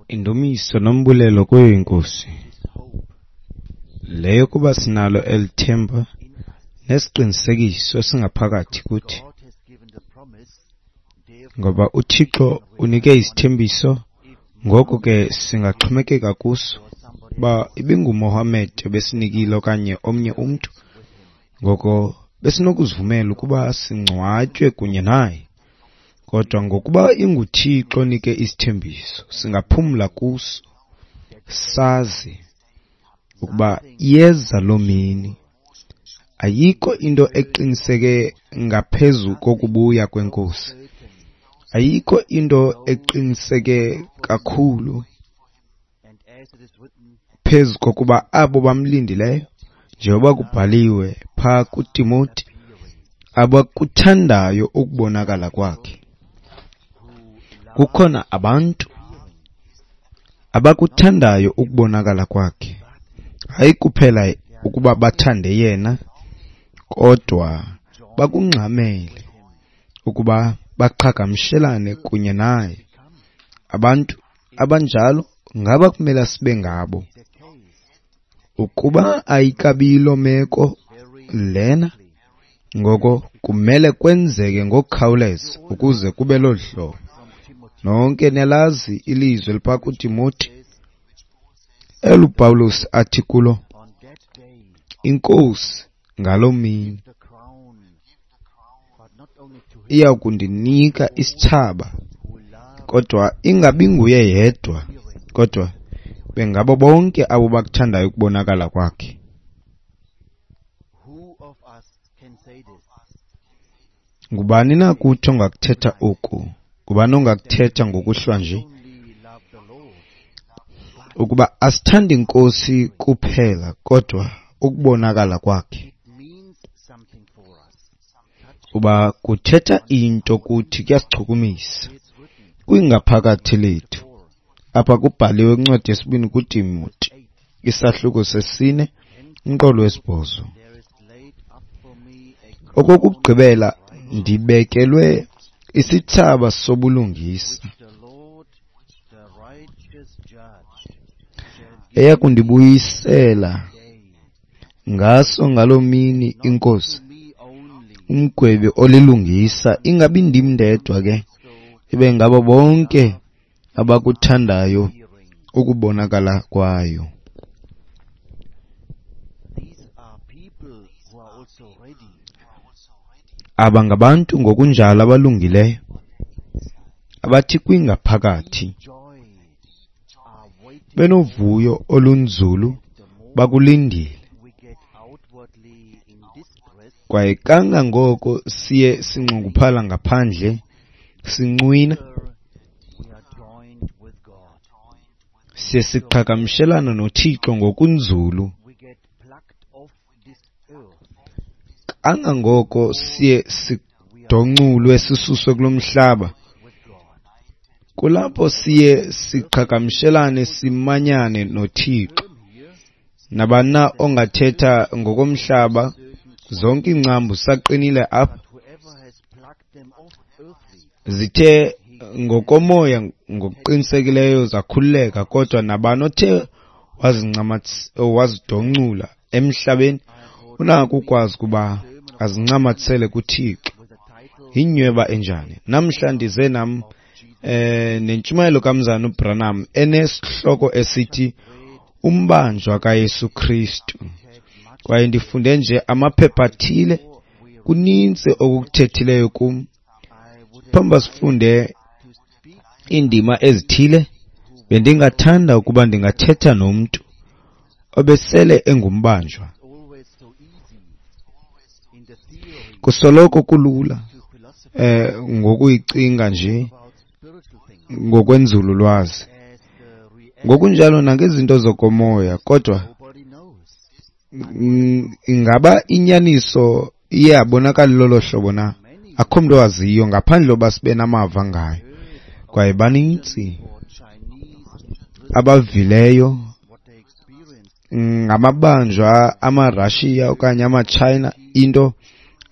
Indumiso nombulelo kuyo iNkosi leyo kuba sinalo eli themba nesiqinisekiso esingaphakathi kuthi, ngoba uThixo unike isithembiso, ngoko ke singaxhomekeka kuso. Uba ibinguMohammed ebesinikile okanye omnye umntu, ngoko besinokuzivumela ukuba singcwatywe kunye naye. Kodwa ngokuba inguThixo onike isithembiso, singaphumla kuso, sazi ukuba iyeza loo mini. Ayikho into eqiniseke ngaphezu kokubuya kweNkosi. Ayikho into eqiniseke kakhulu phezu kokuba abo bamlindileyo, njengoba kubhaliwe phaa kuTimoti, abakuthandayo ukubonakala kwakhe. Kukhona abantu abakuthandayo ukubonakala kwakhe, hayi kuphela ukuba bathande yena, kodwa bakungxamele ukuba baqhagamshelane kunye naye. Abantu abanjalo ngaba kumele sibe ngabo. Ukuba ayikabilo meko lena, ngoko kumele kwenzeke ngokukhawuleza ukuze kube lolu hlobo. Nonke niyalazi ilizwi eliphaa kuTimoti eluPawulos athi kulo, iNkosi ngaloo mini iya kundinika isithsaba, kodwa ingabi nguye yedwa, kodwa bengabo bonke abo bakuthandayo ukubonakala kwakhe. Ngubani na kuthi ongakuthetha oku? Ngubani ongakuthetha ngokuhlwa nje? Ukuba asithandi iNkosi kuphela, kodwa ukubonakala kwakhe. Uba kuthetha into kuthi, kuyasichukumisa kwingaphakathi lethu. Apha kubhaliwe kwincwadi yesibini kuTimoti, isahluko sesine, umqolo wesibhozo. Okokugqibela ndibekelwe isithsaba sobulungisa, eya kundibuyisela ngaso ngaloo mini iNkosi, umgwebi olilungisa, ingabi ndim ndedwa ke, ibe ngabo bonke abakuthandayo ukubonakala kwayo. Aba ngabantu ngokunjalo abalungileyo, abathi kwingaphakathi benovuyo olunzulu bakulindile. Kwaye kangangoko siye sinxunguphala ngaphandle, sincwina, siye siqhagamshelana noThixo ngokunzulu. Kangangoko siye sidonculwe sisuswe kulo mhlaba, kulapho siye siqhagamshelane simanyane noThixo. Nabani na ongathetha ngokomhlaba, zonke iingcambu zisaqinile apha, zithe ngokomoya ngokuqinisekileyo zakhululeka, kodwa nabani othe wazidoncula emhlabeni unako ukwazi ukuba azincamathisele kuThixo. Yinyweba enjani? Namhla ndize nam nentshumayelo kaMzana uBranham enesihloko esithi Umbanjwa kaYesu Kristu. Kwaye ndifunde nje amaphepha athile, kuninzi okukuthethileyo kum. Phambi sifunde iindima ezithile, bendingathanda ukuba ndingathetha nomntu obesele engumbanjwa. Kusoloko kulula ngokuyicinga nje ngokwenzululwazi, ngokunjalo nangezinto zokomoya, kodwa ingaba inyaniso iye yabonakala lolo hlobo na? Akho mntu owaziyo ngaphandle koba sibe namava ngayo. Kwaye banintsi abavileyo ngamabanjwa amaRashiya okanye amaTshayina, into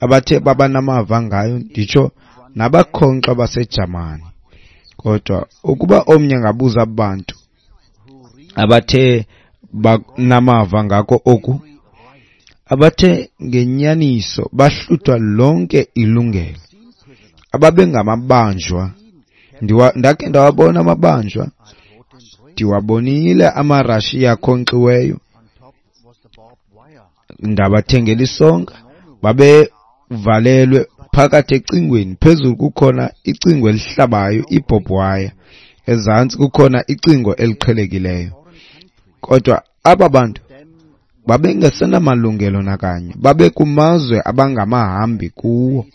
abathe baba namava ngayo, nditsho nabakhonkxwa baseJamani. Kodwa ukuba omnye angabuza abantu abathe banamava ngako oku, abathe ngenyaniso bahluthwa lonke ilungelo, ababengamabanjwa, ndakhe ndawabona amabanjwa, ndiwabonile amaRashiya akhonkxiweyo, ndabathengela isonka, babevalelwe phakathi ecingweni. Phezulu kukhona icingo elihlabayo, ibhobhi waya, ezantsi kukhona icingo eliqhelekileyo. Kodwa aba bantu babengesenamalungelo nakanye, babekumazwe abangamahambi kuwo,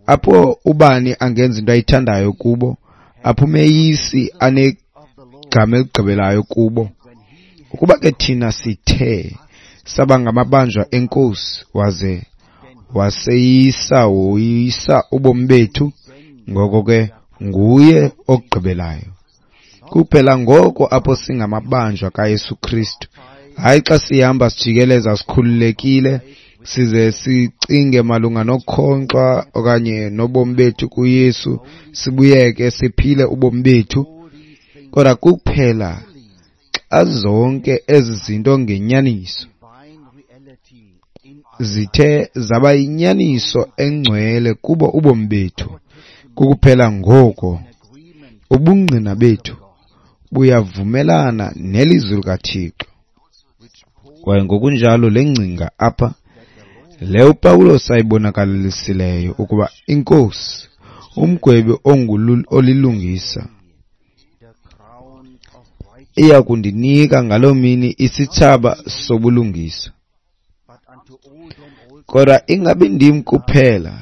apho ubani angenza into ayithandayo kubo, apho umeyisi anegama eligqibelayo kubo. Ukuba ke thina sithe saba ngamabanjwa enkosi, waze waseyisa woyisa ubomi bethu, ngoko ke nguye ogqibelayo. Kuphela ngoko apho singamabanjwa kaYesu Kristu. Hayi xa sihamba sijikeleza sikhululekile, size sicinge malunga nokukhonkxwa okanye nobomi bethu kuYesu, sibuyeke siphile ubomi bethu. Kodwa kuphela xa zonke ezi zinto ngenyaniso zithe zaba yinyaniso engcwele kubo ubomi bethu, kukuphela ngoko ubungqina bethu buyavumelana nelizwi likaThixo. Kwaye ngokunjalo le ngcinga apha le uPawulos ayibonakalisileyo ukuba iNkosi, umgwebi olilungisa, iya kundinika ngaloo mini isithsaba sobulungisa. Kodwa ingabi ndim kuphela,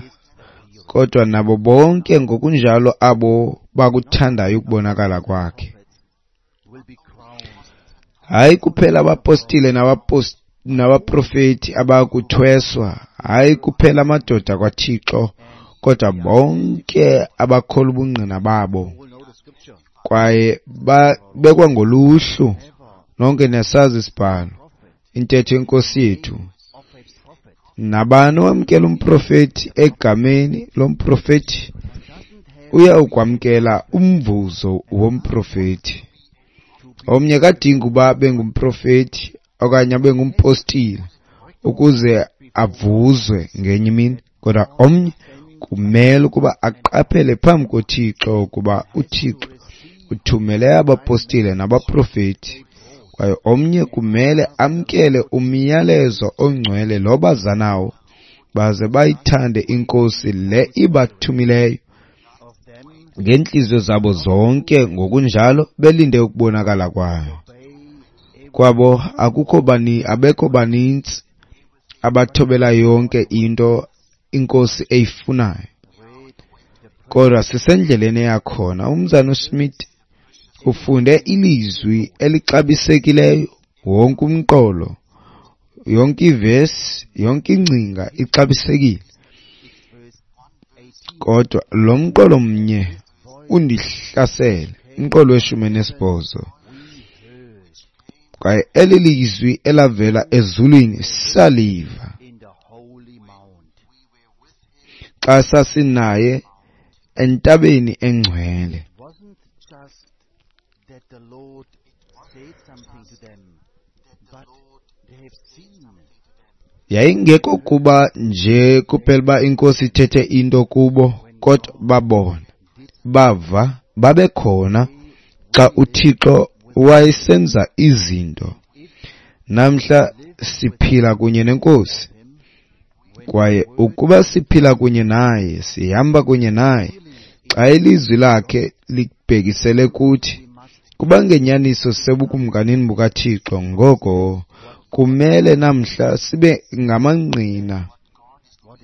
kodwa nabo bonke ngokunjalo abo bakuthandayo ukubonakala kwakhe. Hayi kuphela abapostile nabaprofeti abakuthweswa, hayi kuphela amadoda kwaThixo, kodwa bonke abakholwa ubungqina babo kwaye babekwa ngoluhlu. Nonke niyasazi isibhalo, intetho yenkosi yethu. Nabani owamkela umprofeti egameni lomprofeti uyawukwamkela umvuzo womprofeti. Omnye kadingi uba abe ngumprofeti okanye abe ngumpostile ukuze avuzwe ngenye imini, kodwa omnye kumele ukuba aqaphele phambi koThixo ukuba uThixo uthumele abapostile nabaprofeti, kwaye omnye kumele amkele umyalezo ongcwele lo baza nawo, baze bayithande iNkosi le ibathumileyo ngeentliziyo zabo zonke, ngokunjalo belinde ukubonakala kwayo. Kwabo akukho bani, abekho banintsi abathobela yonke into iNkosi eyifunayo, kodwa sisendleleni eyakhona. Umzana uSmith ufunde ilizwi elixabisekileyo, wonke umqolo, yonke ivesi, yonke ingcinga ixabisekile, kodwa lo mqolo mnye undihlasele, umqolo we-18. Kwaye eli lizwi elavela ezulwini saliva xa sasinaye entabeni engcwele. Yayingekho kuba nje kuphela uba iNkosi ithethe into kubo, kodwa babona, bava, babekhona xa uThixo wayesenza izinto. Namhla siphila kunye neNkosi, kwaye ukuba siphila kunye naye, sihamba kunye naye, xa ilizwi lakhe libhekisele kuthi, kuba ngenyaniso sisebukumkanini bukaThixo, ngoko kumele namhla sibe ngamangqina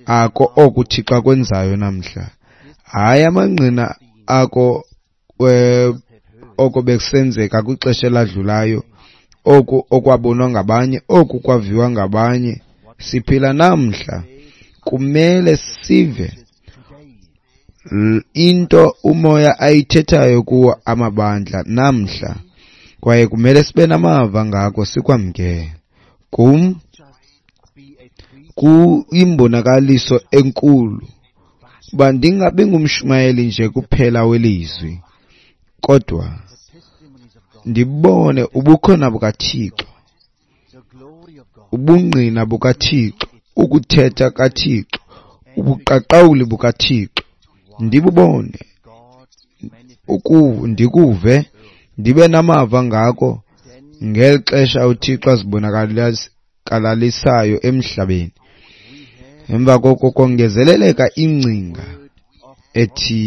ako oku uThixo akwenzayo namhla, hayi amangqina ako oko bekusenzeka kwixesha eladlulayo, oku okwabonwa ngabanye, oku kwaviwa ngabanye. Siphila namhla, kumele sive into umoya ayithethayo kuwo amabandla namhla, kwaye kumele sibe namava ngako sikwamkele. Kum kuyimbonakaliso enkulu uba ndingabi ngumshumayeli nje kuphela welizwi, Kodwa ndibone ubukhona bukaThixo, ubungqina bukaThixo, ukuthetha kaThixo, ubuqaqawuli bukaThixo, ndibubone, ndikuve, ndibe namava ngako ngeli xesha uThixo azibonakalalisayo emhlabeni. Emva koko kongezeleleka ingcinga ethi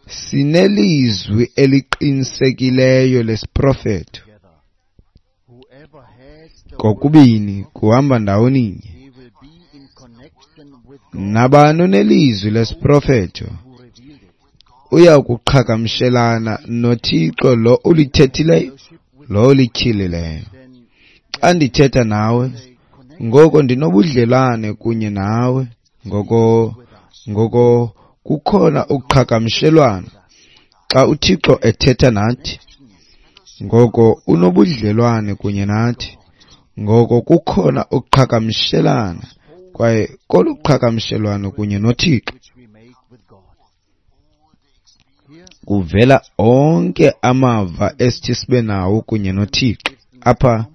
sinelizwi eliqinisekileyo lesiprofeto. Kokubini kuhamba ndawoninye. Nabani onelizwi lesiprofeto uya kuqhagamshelana noThixo lo ulithethileyo, lo ulityhilileyo. Xa ndithetha nawe, ngoko ndinobudlelwane kunye nawe, ngoko kukhona uqhagamshelwano. Xa uThixo ethetha nathi, ngoko unobudlelwane kunye nathi, ngoko kukhona uqhagamshelana, kwaye kolu qhagamshelwano kunye noThixo kuvela onke amava esithi sibe nawo kunye noThixo. Apha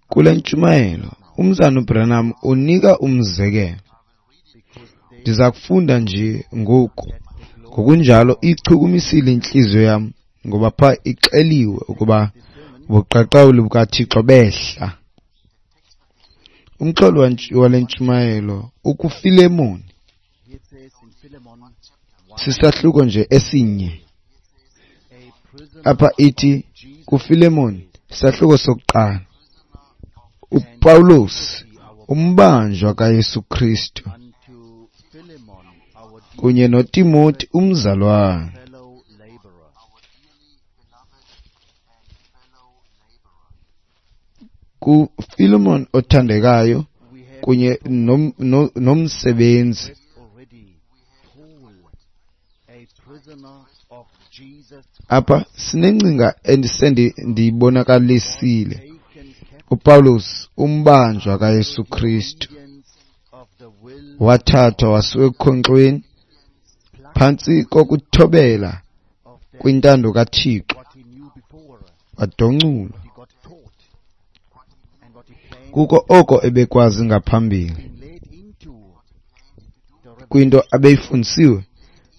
kule ntshumayelo uMzalwana uBranham unika umzekelo. Ndiza kufunda nje ngoku. Ngokunjalo ichukumisile intliziyo yam, ngoba pha ixeliwe ukuba ubuqaqawuli bukaThixo behla. Umxholo wale ntshumayelo ukuFilemoni, sisahluko nje esinye. Apha ithi kuFilemoni, isahluko sokuqala, uPawulos umbanjwa kaYesu Kristu kunye noTimoti umzalwane, kuFilemon othandekayo kunye nomsebenzi. Apha sinengcinga endisendiyibonakalisile. uPawulos umbanjwa kaYesu Kristu wathathwa wasiwa ekukhonkxweni phantsi kokuthobela kwintando kaThixo, wadonculwa kuko oko ebekwazi ngaphambili, kwinto abeyifundisiwe,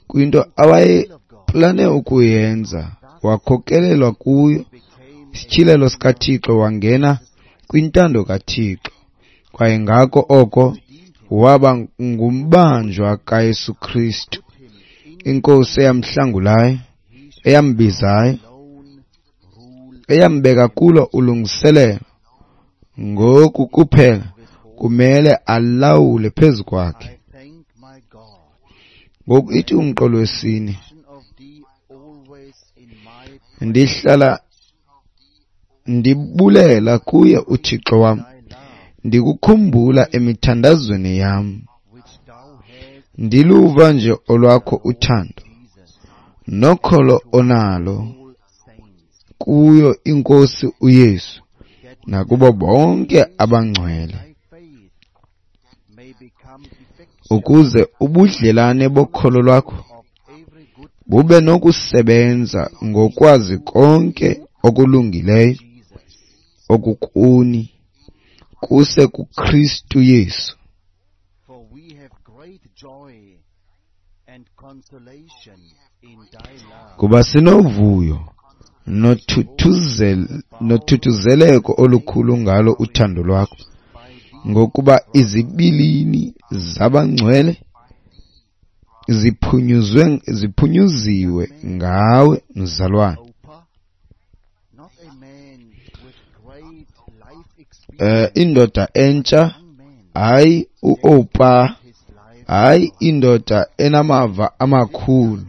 kwinto awayeplane ukuyenza, wakhokelelwa kuyo isityhilelo sikaThixo, wangena kwintando kaThixo, kwaye ngako oko waba ngumbanjwa kaYesu Kristu, inkosi eyamhlangulayo, eyambizayo, eyambeka kulo ulungiselelo. Ngoku kuphela kumele alawule phezu kwakhe. Ngoku ithi umqolo wesine, ndihlala ndibulela kuye uThixo wam, ndikukhumbula emithandazweni yam, ndiluva nje olwakho uthando nokholo onalo kuyo inkosi uYesu nakubo bonke abangcwele, ukuze ubudlelane bokholo lwakho bube nokusebenza ngokwazi konke okulungileyo okukuni kuse kuKristu Yesu. Kuba sinovuyo nothuthuzeleko olukhulu ngalo uthando lwakho, ngokuba izibilini zabangcwele ziphunyuziwe ngawe, mzalwane. Indoda entsha, hayi uOpa, hayi indoda enamava amakhulu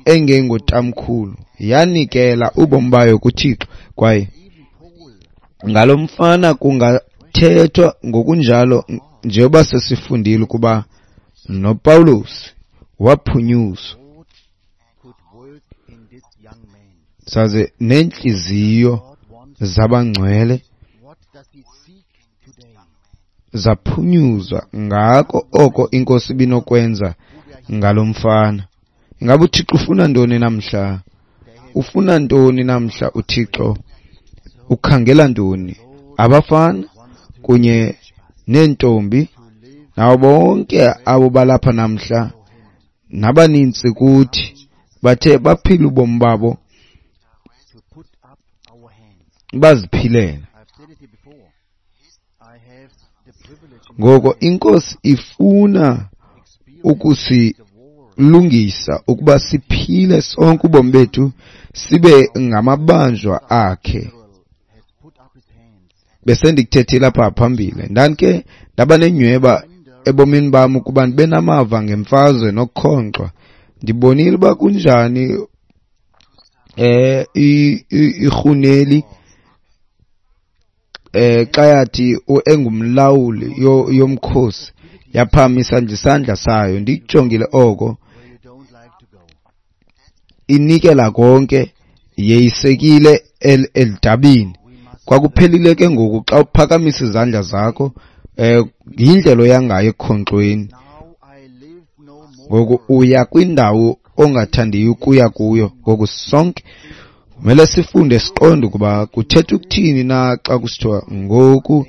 engengotamkhulu, yanikela ubomi bayo kuThixo. Kwaye ngalo mfana kungathethwa ngokunjalo, njengoba sesifundile ukuba noPawulos waphunyuzwa, saze neentliziyo zabangcwele zaphunyuzwa ngako oko inkosi ibinokwenza ngalo mfana. Ingaba uThixo ufuna ntoni namhla? Ufuna ntoni namhla uThixo? Ukhangela ntoni? Abafana kunye neentombi nabo bonke abo balapha namhla nabanintsi kuthi bathe baphila ubomi babo baziphilela. Ngoko iNkosi ifuna ukusilungisa ukuba siphile sonke ubomi bethu sibe ngamabanjwa akhe. Besendikuthethile apha phambili, ndandike ndaba nenyweba ebomini bam ukuba ndibe namava ngemfazwe nokukhonkxwa. Ndibonile uba kunjani irhuneli xa yathi engumlawuli yomkhosi yaphakamisa nje isandla sayo. Ndikujongile oko, inikela konke, yeyisekile elidabini. Kwakuphelile ke ngoku xa uphakamisa izandla zakho, yindlela oya ngayo ekukhonkxweni. Ngoku uya kwindawo ongathandiyo ukuya kuyo. Ngoku sonke kumele sifunde siqonde ukuba kuthetha ukuthini na xa kusithiwa ngoku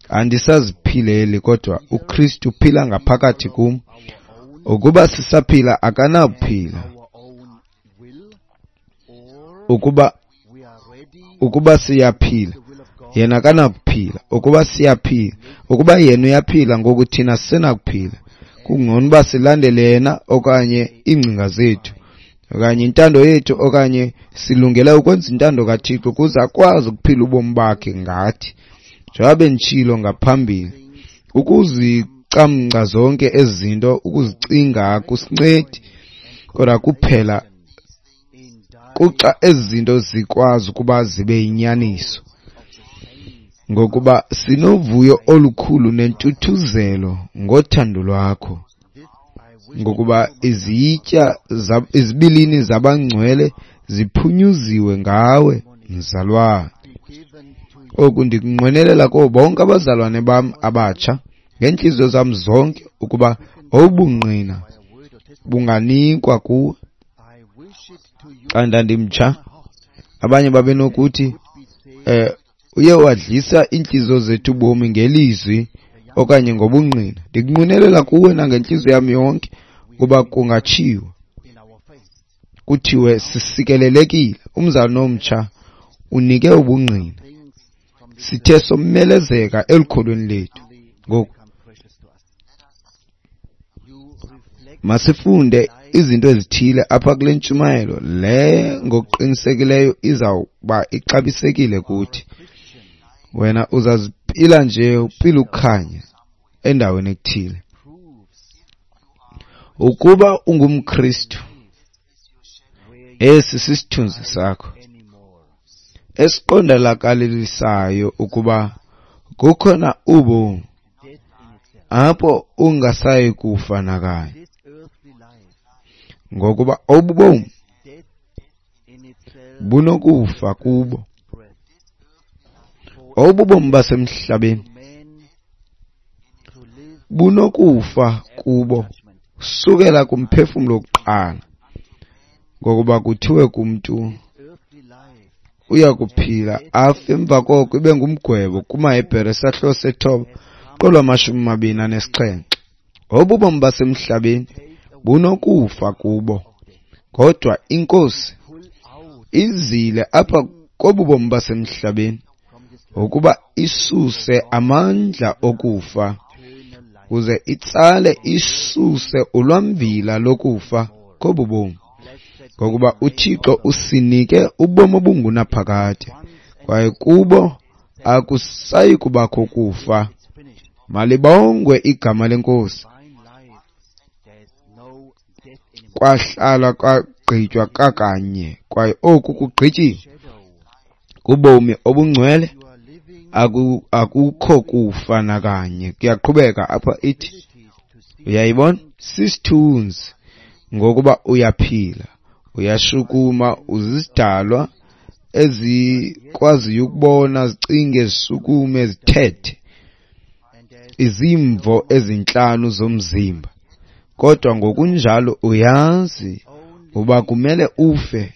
andisaziphileli kodwa uKristu uphila ngaphakathi kum. Ukuba sisaphila akanakuphila. Ukuba siyaphila yena akanakuphila. Ukuba siyaphila, ukuba yena uyaphila ngoku thina sisenakuphila. Kungcono uba silandele yena okanye iingcinga zethu okanye intando yethu, okanye silungele ukwenza intando kaThixo ukuze akwazi ukuphila ubomi bakhe ngathi. Njengoba benditshilo ngaphambili, ukuzicamngca zonke ezi zinto, ukuzicinga akusincedi, kodwa kuphela kuxa ezi zinto zikwazi ukuba zibe yinyaniso. Ngokuba sinovuyo olukhulu nentuthuzelo ngothando lwakho, ngokuba izitya izibilini zabangcwele ziphunyuziwe ngawe, mzalwane. Oku ndikunqwenelela kubo bonke abazalwane bam abatsha ngeentliziyo zam zonke, ukuba obungqina bunganikwa kuwe. Xa ndandimtsha, abanye babenokuthi uye wadlisa iintliziyo zethu ubomi ngelizwi okanye ngobungqina. Ndikunqwenelela kuwe nangentliziyo yam yonke ukuba kungatshiwo kuthiwe sisikelelekile. Umzalwane omtsha unike ubungqina, sithe somelezeka elukholweni lethu. Ngoku masifunde izinto ezithile apha kule ntshumayelo le ngokuqinisekileyo izawuba ixabisekile kuthi. Wena uzaziphila nje uphila ukukhanya endaweni ethile. Ukuba ungumKristu, esi sisithunzi sakho esiqondakalisayo ukuba kukhona ubomi apho ungasayi kufa nakanye, ngokuba obu bomi bunokufa kubo. Obu bomi basemhlabeni bunokufa kubo sukela kumphefumlo wokuqala, ngokuba kuthiwe kumntu uya kuphila afe emva koko ibe ngumgwebo. KumaHebhere isahluko 9 qolo 27. Obu bomi basemhlabeni bunokufa kubo, kodwa iNkosi izile apha kobu bomi basemhlabeni ukuba isuse amandla okufa, kuze itsale isuse ulwamvila lokufa kobu bomi, ngokuba uThixo usinike ubomi obungunaphakade, kwaye kubo akusayi kubakho kufa. Malibongwe igama leNkosi. Kwahlala kwagqitywa kakanye, kwaye oku kugqityiwe. Kubomi obungcwele akukho kufa nakanye. Kuyaqhubeka apha ithi, uyayibona, sisithunzi, ngokuba uyaphila, uyashukuma, uzizidalwa ezikwaziyo ukubona, zicinge, zishukume, zithethe, izimvo ezintlanu zomzimba. Kodwa ngokunjalo uyazi Uba kumele ufe,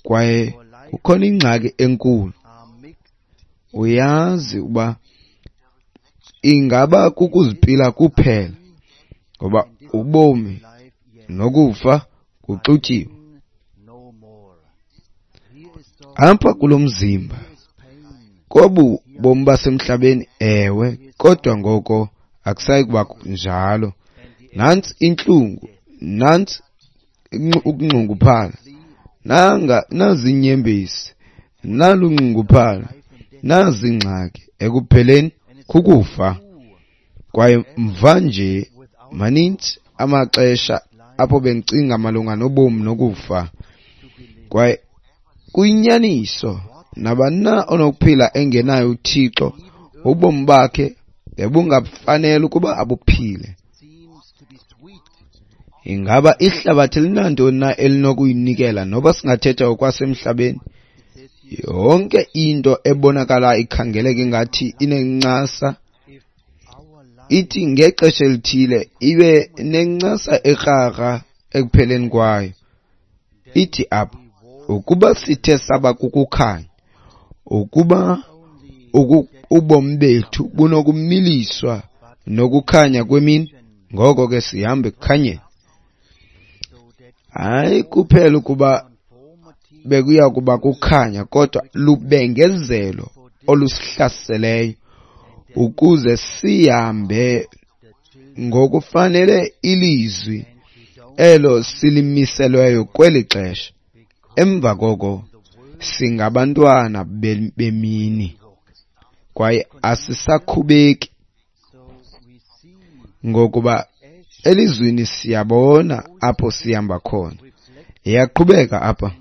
kwaye kukhona ingxaki enkulu. Uyazi uba ingaba kukuzipila kuphela, ngoba ubomi nokufa kuxutyiwe. Apha kulo mzimba, kobu bomi basemhlabeni, ewe, kodwa ngoko akusayi kuba njalo. Nantsi intlungu, nantsi ukunxunguphala, nazi iinyembezi, nalu unxunguphala, nazi iingxaki. Ekupheleni kukufa. Kwaye mva nje manintsi amaxesha apho bendicinga malunga nobomi nokufa. Kwaye kuyinyaniso, nabani na onokuphila engenayo uThixo, ubomi bakhe bebungafanele ukuba abuphile. Ingaba ihlabathi linantoni na elinokuyinikela, noba singathetha okwasemhlabeni? Yonke into ebonakala ikhangeleka ingathi inencasa, ithi ngexesha elithile ibe nencasa ekrakra ekupheleni kwayo. Ithi apha, ukuba sithe saba kukukhanya, ukuba ubomi bethu bunokumiliswa nokukhanya kwemini, ngoko ke sihamba ekukhanyeni. Hayi kuphela ukuba bekuya kuba kukhanya, kodwa lubengezelo olusihlaseleyo ukuze sihambe ngokufanele ilizwi elo silimiselweyo kweli xesha. Emva koko singabantwana bemini, kwaye asisakhubeki, ngokuba elizwini siyabona apho sihamba khona. Iyaqhubeka apha.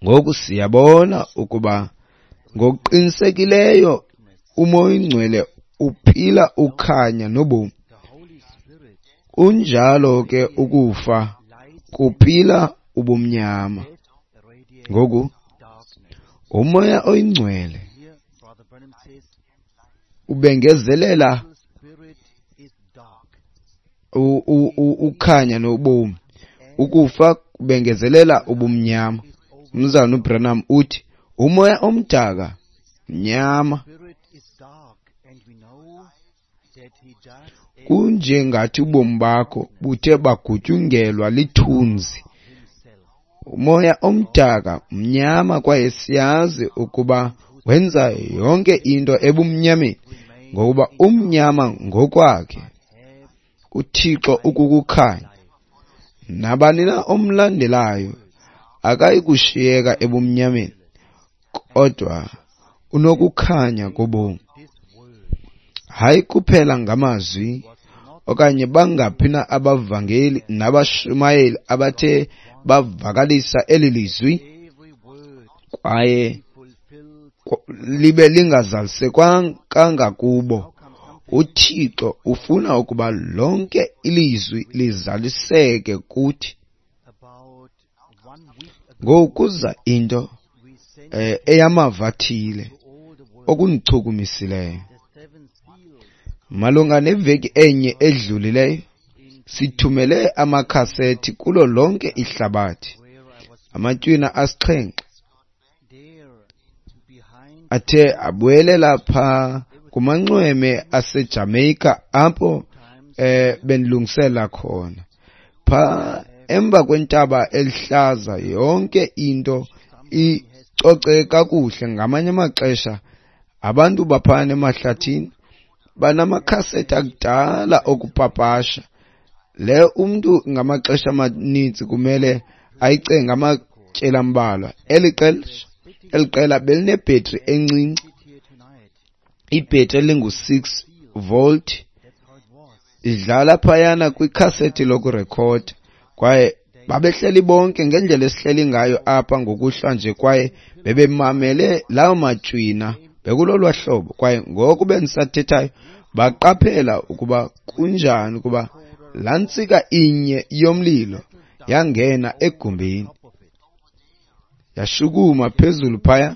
Ngoku siyabona ukuba ngokuqinisekileyo uMoya oyiNgcwele uphila ukhanya nobomi. Unjalo ke ukufa kuphila ubumnyama. Ngoku uMoya oyiNgcwele ubengezelela ukhanya nobomi, ukufa kubengezelela ubumnyama. Umzalwana uBranham uthi umoya omdaka mnyama, kunjengathi ubomi bakho buthe bagutyungelwa lithunzi. Umoya omdaka mnyama, kwaye siyazi ukuba wenza yonke into ebumnyameni, ngokuba umnyama ngokwakhe uThixo ukukukhanya. Nabani na omlandelayo akayi kushiyeka ebumnyameni, kodwa unokukhanya kobomi. Hayi kuphela ngamazwi okanye bangaphi na abavangeli nabashumayeli abathe bavakalisa eli lizwi kwaye libe lingazalisekanga kubo. UThixo ufuna ukuba lonke ilizwi lizaliseke kuthi. Ngokuza into eyamava athile okundichukumisileyo. Malunga neveki enye edlulileyo sithumele amakhasethi kulo lonke ihlabathi, amatywina 7 athe abuyelela pha kumanxweme aseJamaica apho bendilungisela khona. Pha emva kwentaba elihlaza yonke into icoceke kakuhle. Ngamanye amaxesha abantu baphana emahlathini banamakhasethi akudala okupapasha. Le umntu ngamaxesha amaninzi kumele ayicenge amatyeli ambalwa. Eli qela belinebhetri encinci, ibhetri elingu-6 volt, idlala phayana kwikhasethi lokurekhoda. Kwaye babehleli bonke ngendlela esihleli ngayo apha ngokuhlwa nje, kwaye bebemamele lawo matywina bekulolwa hlobo. Kwaye ngoku bendisathethayo baqaphela ukuba kunjani ukuba laa ntsika inye yomlilo yangena egumbini, yashukuma phezulu phaya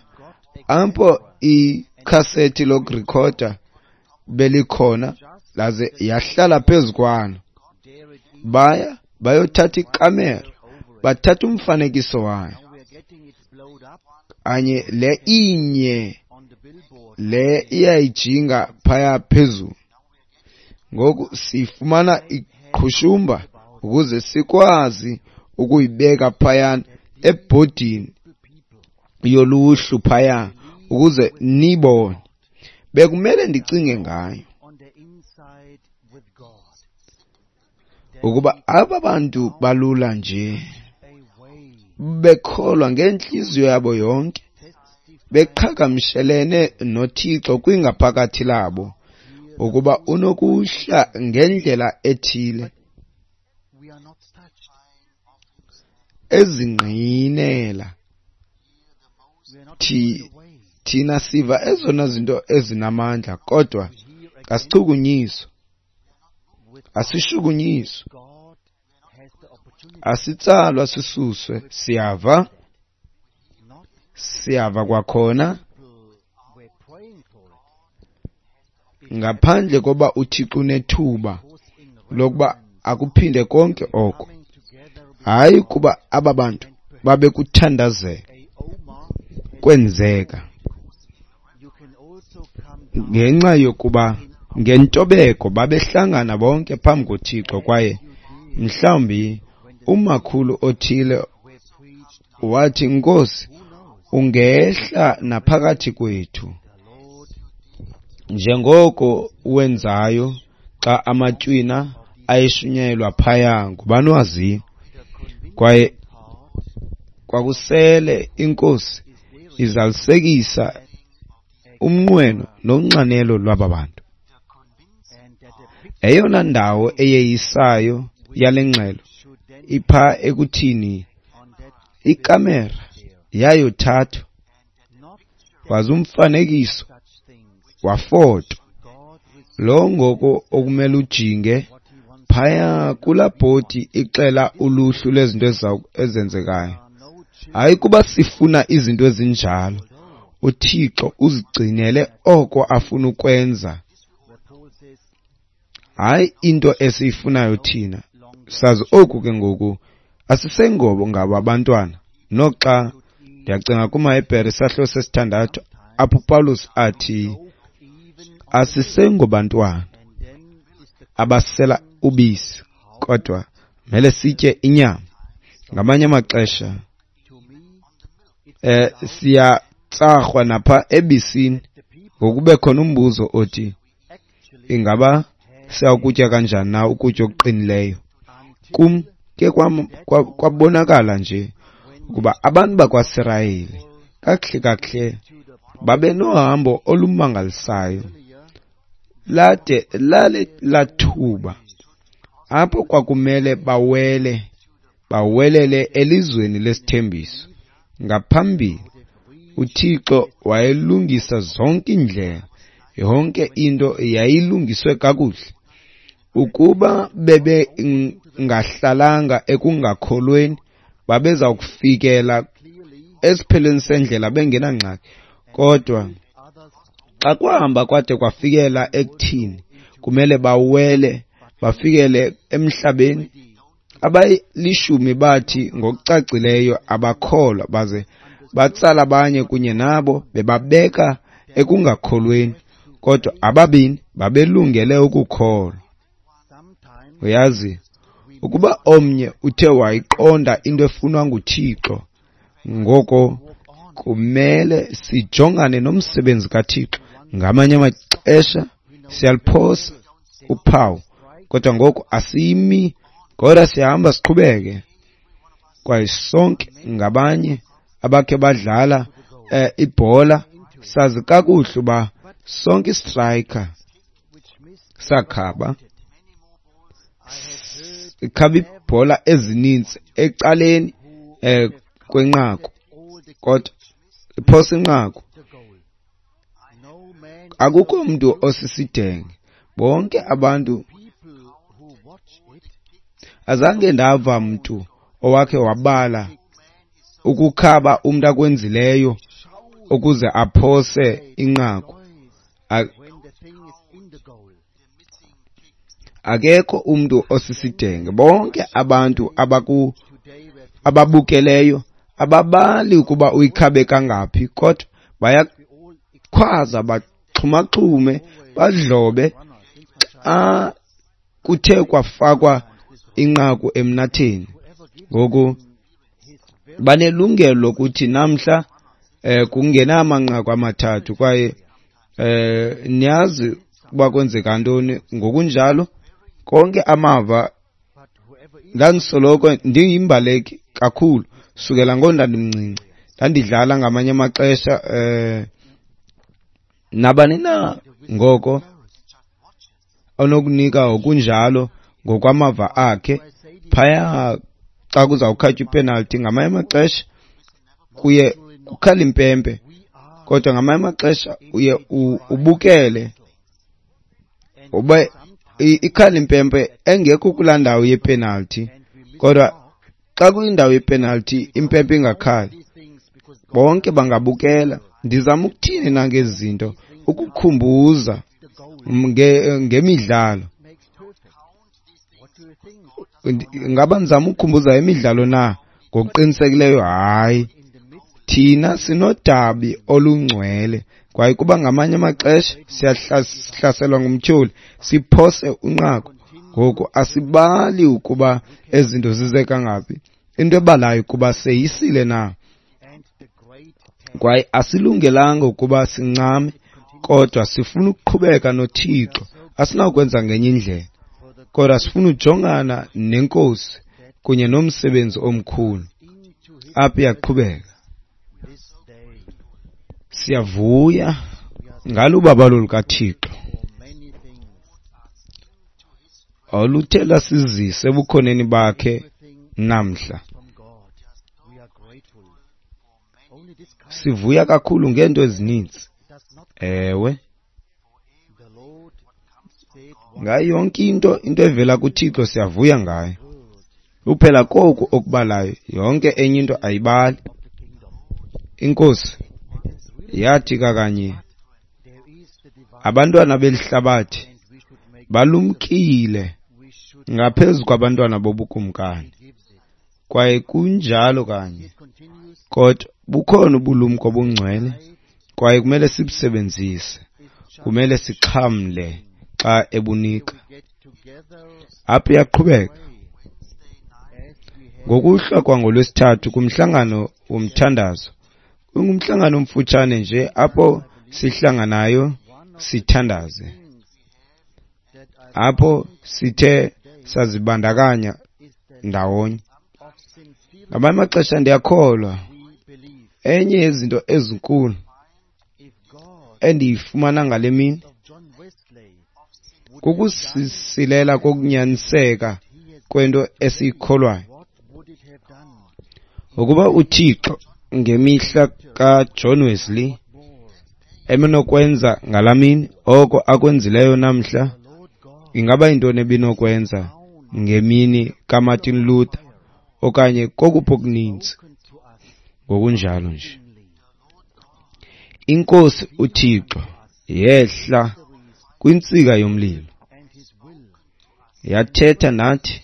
apho ikhasethi lokurekhoda belikhona, laze yahlala phezu kwalo. Baya Bayothatha ikamera, bathatha umfanekiso wayo. Kanye le inye le iyayijinga phaya phezulu. Ngoku sifumana iqhushumba ukuze sikwazi ukuyibeka phayana ebhodini yoluhlu phaya ukuze nibone. Bekumele ndicinge ngayo ukuba aba bantu balula nje bekholwa ngentliziyo yabo yonke, beqhagamshelene noThixo kwingaphakathi labo, ukuba unokuhla ngendlela ethile ezingqinela. Thina siva ezona zinto ezinamandla, kodwa asichukunyiswa, asishukunyiswa, asitsalwa sisuswe. Siyava, siyava kwakhona, ngaphandle koba uThixo unethuba lokuba akuphinde konke oko. Hayi kuba aba bantu babekuthandazela, kwenzeka ngenxa yokuba ngentobeko babehlangana bonke phambi koThixo. Kwaye mhlawumbi umakhulu othile wathi, Nkosi, ungehla naphakathi kwethu njengoko wenzayo xa amatywina ayeshunyayelwa phaya. Ngubani waziyo? Kwaye kwakusele iNkosi izalisekisa umnqweno nonxanelo lwaba bantu. Eyona ndawo eyeyisayo yale ngxelo ipha ekuthini ikamera yayothathwa, waze umfanekiso wafotwa. Lo ngoko okumele ujinge phaya kulaa bhodi ixela uluhlu lwezinto ezenzekayo. Hayi kuba sifuna izinto ezinjalo, uThixo uzigcinele oko afuna ukwenza, hayi into esiyifunayo thina. Sazi oku ke ngoku, asisengobo ngabo abantwana. Noxa ndiyacinga kumaHebhere isahluko sesithandathu apho uPawulos athi asisengobantwana abasela ubisi, kodwa mele sitye inyama. Ngamanye amaxesha siyatsarhwa napha ebisini, ngokube khona umbuzo othi ingaba siyakutya kanjani na ukutya okuqinileyo. Kum ke kwabonakala nje ukuba abantu bakwaSirayeli kakuhle kakuhle babe nohambo olumangalisayo lade lale lathuba apho kwakumele bawelele elizweni lesithembiso. Ngaphambili uThixo wayelungisa zonke iindlela, yonke into yayilungiswe kakuhle. Ukuba bebengahlalanga ekungakholweni, babeza kufikela esiphelweni sendlela bengenangxaki. Kodwa xa kwahamba kwade kwafikela ekuthini kumele bawele bafikele emhlabeni, abalishumi bathi ngokucacileyo abakholwa, baze batsala abanye kunye nabo bebabeka ekungakholweni, kodwa ababini babelungele ukukholwa. Uyazi, ukuba omnye uthe wayiqonda into efunwa nguThixo, ngoko kumele sijongane nomsebenzi kaThixo. Ngamanye amaxesha siyaliphosa uphawu, kodwa ngoku asimi, kodwa siyahamba siqhubeke. Kwaye sonke ngabanye abakhe badlala ibhola sazi kakuhle uba sonke istriker sakhaba, ikhaba ibhola ezininzi ecaleni kwenqaku, kodwa iphosa inqaku. Akukho mntu osisidenge, bonke abantu. Azange ndava mntu owakhe wabala ukukhaba umntu akwenzileyo ukuze aphose inqaku. Akekho umntu osisidenge. Bonke abantu ababukeleyo ababali ukuba uyikhabe kangaphi, kodwa bayakhwaza, baxhumaxhume, badlobe xa kuthe kwafakwa inqaku emnatheni. Ngoku banelungelo lokuthi namhla kungena amanqaku 3 kwaye niyazi uba kwenzeka ntoni. Ngokunjalo konke amava, ndandisoloko ndiyimbaleki kakhulu sukela ngondandimncinci. Ndandidlala ngamanye amaxesha nabani na ngoko onokunika ngokunjalo ngokwamava akhe phaya xa kuzawukhatywa ipenalty. Ngamanye amaxesha kuye kukhala impempe, kodwa ngamanye amaxesha uye ubukele ube ikhala impempe engekho kulaa ndawo yepenalty, kodwa xa kuyindawo yepenalty impempe ingakhali, bonke bangabukela. Ndizama ukuthini na ngezi zinto? Ukukhumbuza ngemidlalo. Ngaba ndizama ukukhumbuza imidlalo na? Ngokuqinisekileyo hayi. Thina sinodabi olungcwele, kwaye kuba ngamanye amaxesha siyahlaselwa ngumtyholi siphose unqaku. Ngoku asibali ukuba ezi zinto zize kangaphi, into ebalayo kuba seyisile na, kwaye asilungelanga ukuba sincame, kodwa sifuna ukuqhubeka noThixo. Asinakwenza ngenye indlela, kodwa sifuna ujongana neNkosi kunye nomsebenzi omkhulu. Apha iyaqhubeka. Siyavuya ngalo ubabalo lukaThixo oluthe lwasizisa ebukhoneni bakhe namhla. Sivuya kakhulu ngeento ezininzi. Ewe, ngayo yonke into evela kuThixo siyavuya ngayo. Kuphela koku okubalayo, yonke enye into ayibali. INkosi yathi kakanye, abantwana belihlabathi balumkile ngaphezu kwabantwana bobukumkani. Kwaye kunjalo kanye, kodwa bukhona ubulumko obungcwele, kwaye kumele sibusebenzise, kumele sixhamle xa ebunika. Apha iyaqhubeka. Ngokuhlwa kwangolwesithathu kumhlangano womthandazo, kungumhlangano omfutshane nje apho sihlanganayo sithandaze, apho sithe sazibandakanya ndawonye. Ngamanye amaxesha ndiyakholwa enye yezinto ezinkulu endiyifumana ngale mini kukusisilela kokunyaniseka kwento esiyikholwayo. Ukuba uThixo ngemihla kaJohn Wesley ebenokwenza ngalaa mini oko akwenzileyo namhla, ingaba yintoni ebinokwenza ngemini kaMartin Luther okanye kokuphi okuninzi? Ngokunjalo nje, iNkosi uThixo yehla kwintsika yomlilo, yathetha nathi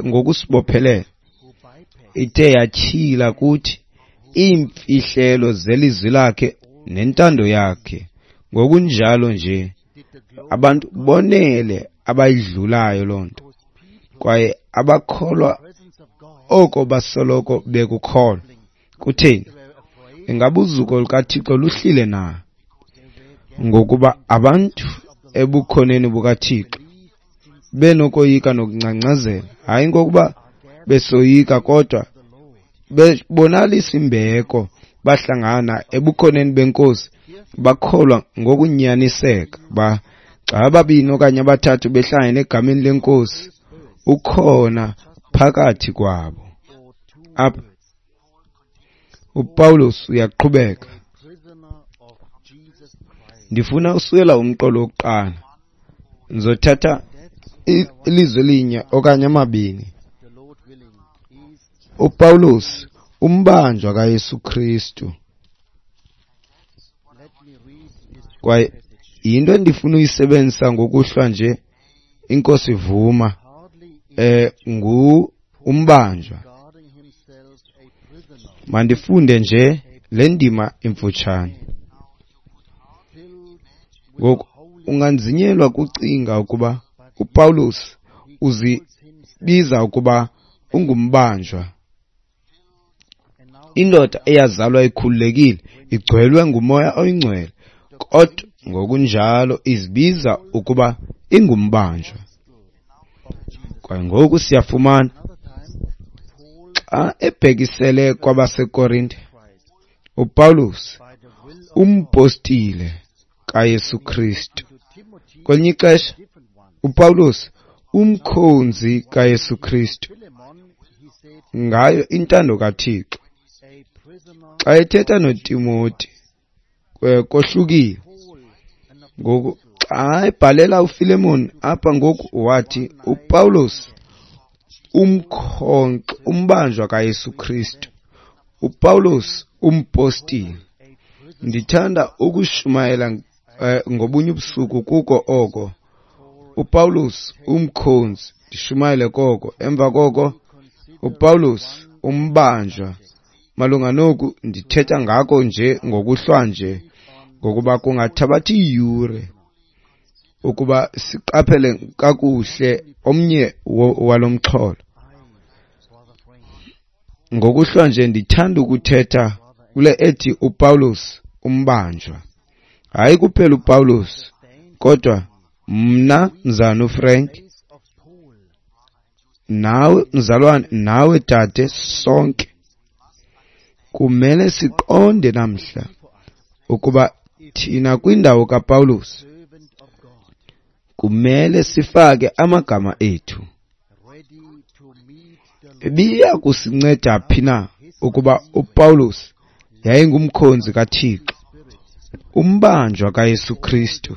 ngokusibophelela, ithe yatyhila kuthi iimfihlelo zelizwi lakhe nentando yakhe. Ngokunjalo nje, abantu bonele abayidlulayo loo nto, kwaye abakholwa oko basoloko bekukholwa. Kutheni? Ingaba uzuko lukaThixo luhlile na? Ngokuba abantu ebukhoneni bukaThixo benokoyika nokungcangcazela, hayi ngokuba besoyika, kodwa bebonalisa imbeko, bahlangana ebukhoneni beNkosi, bakholwa ngokunyaniseka. Xa ababini okanye abathathu behlangene egameni leNkosi, ukhona phakathi kwabo. Apha uPawulos uyaqhubeka. Ndifuna usukela umqolo wokuqala, ndizothatha ilizwi elinye okanye amabini. uPawulos, umbanjwa kaYesu Kristu. Kwaye yinto endifuna uyisebenzisa ngokuhlwa nje inkosi ivuma, ngu umbanjwa. Mandifunde nje le ndima imfutshane. Ngoku unganzinyelwa kucinga ukuba uPawulos uzibiza ukuba ungumbanjwa. Indoda eyazalwa ikhululekile, igcwelwe nguMoya oyiNgcwele, kodwa ngokunjalo izibiza ukuba ingumbanjwa. Kwaye ngoku siyafumana xa ebhekisele kwabaseKorinte, uPawulos umpostile kaYesu Kristu. Kwelinye ixesha uPawulos umkhonzi kaYesu Kristu ngayo intando kaThixo. Xa ethetha noTimoti kohlukile. Ngoku xa ebhalela uFilemon apha ngoku wathi uPawulos umbanjwa kaYesu Kristu, uPawulos umpostile. Ndithanda ukushumayela ngobunye ubusuku kuko oko. uPawulos umkhonzi, ndishumayele koko. Emva koko uPawulos umbanjwa. Malunga noku ndithetha ngako nje ngokuhlwa nje, ngokuba kungathabatha iiyure ukuba siqaphele kakuhle omnye walomxholo. Ngokuhlwa nje ndithanda ukuthetha kule ethi uPawulos umbanjwa. Hayi kuphela uPawulos, kodwa mna mzalwana uFrank, nawe mzalwane, nawe dade, sonke kumele siqonde namhla ukuba thina kwindawo kaPawulos kumele sifake amagama ethu. Ibiya kusinceda phi na ukuba uPawulos yayingumkhonzi kaThixo, umbanjwa kaYesu Kristu,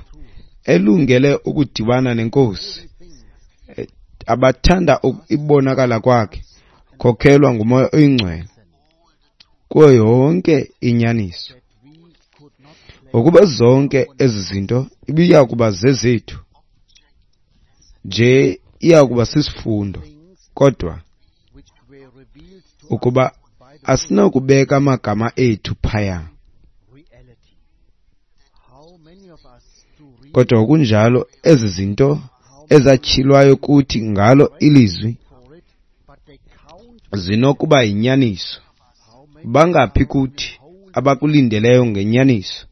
elungele ukudibana nenkosi, abathanda ibonakala kwakhe, khokhelwa nguMoya oyiNgcwele kuyo yonke inyaniso. Ukuba zonke ezi zinto ibiya kuba zezethu nje, iya kuba sisifundo, kodwa ukuba asinakubeka amagama ethu phaya. Kodwa ngokunjalo ezi zinto ezatyhilwayo kuthi ngalo ilizwi zinokuba yinyaniso. Bangaphi kuthi abakulindeleyo ngenyaniso?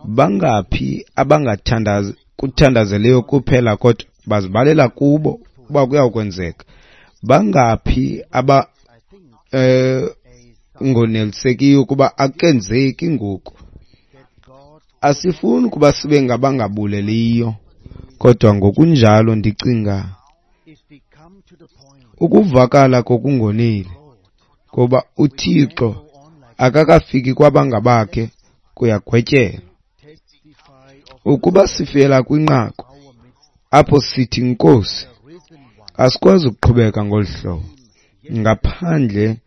Bangaphi abangathandazeleyo kuphela kodwa bazibalela kubo uba kuyakwenzeka? Bangaphi aba ngonelisekiyo ukuba akenzeki ngoku? Asifuni ukuba sibe ngabangabuleliyo, kodwa ngokunjalo ndicinga ukuvakala kokungoneli, ngoba uThixo akakafiki kwabangabakhe kuyagwetyelwa. Ukuba sifela kwinqaku apho sithi Nkosi, asikwazi ukuqhubeka ngolu hlobo ngaphandle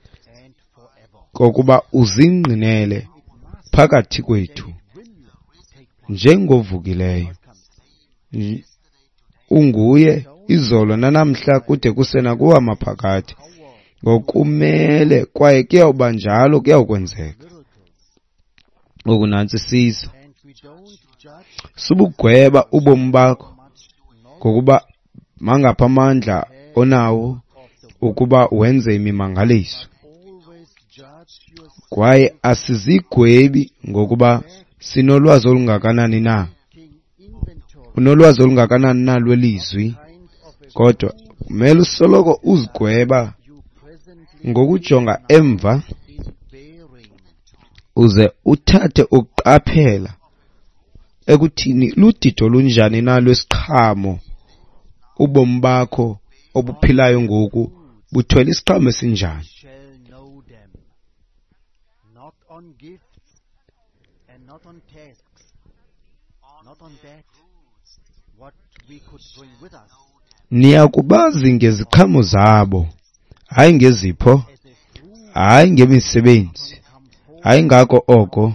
kokuba uzingqinele phakathi kwethu njengovukileyo. Unguye izolo nanamhla kude kusena kuwamaphakathi. Ngokumele kwaye kuyawuba njalo, kuyawukwenzeka. Ngoku nantsi siza. Subugweba ubomi bakho ngokuba mangapha amandla onawo ukuba wenze imimangaliso. Kwaye asizigwebi ngokuba sinolwazi olungakanani na, unolwazi olungakanani na lwelizwi, kodwa kumele usoloko uzigweba ngokujonga emva uze uthathe ukuqaphela ekuthini ludido lunjani na lwesiqhamo ubomi bakho obuphilayo ngoku buthwele isiqhamo esinjani. Niyakubazi ngeziqhamo zabo, hayi ngezipho, hayi ngemisebenzi, hayi ngako oko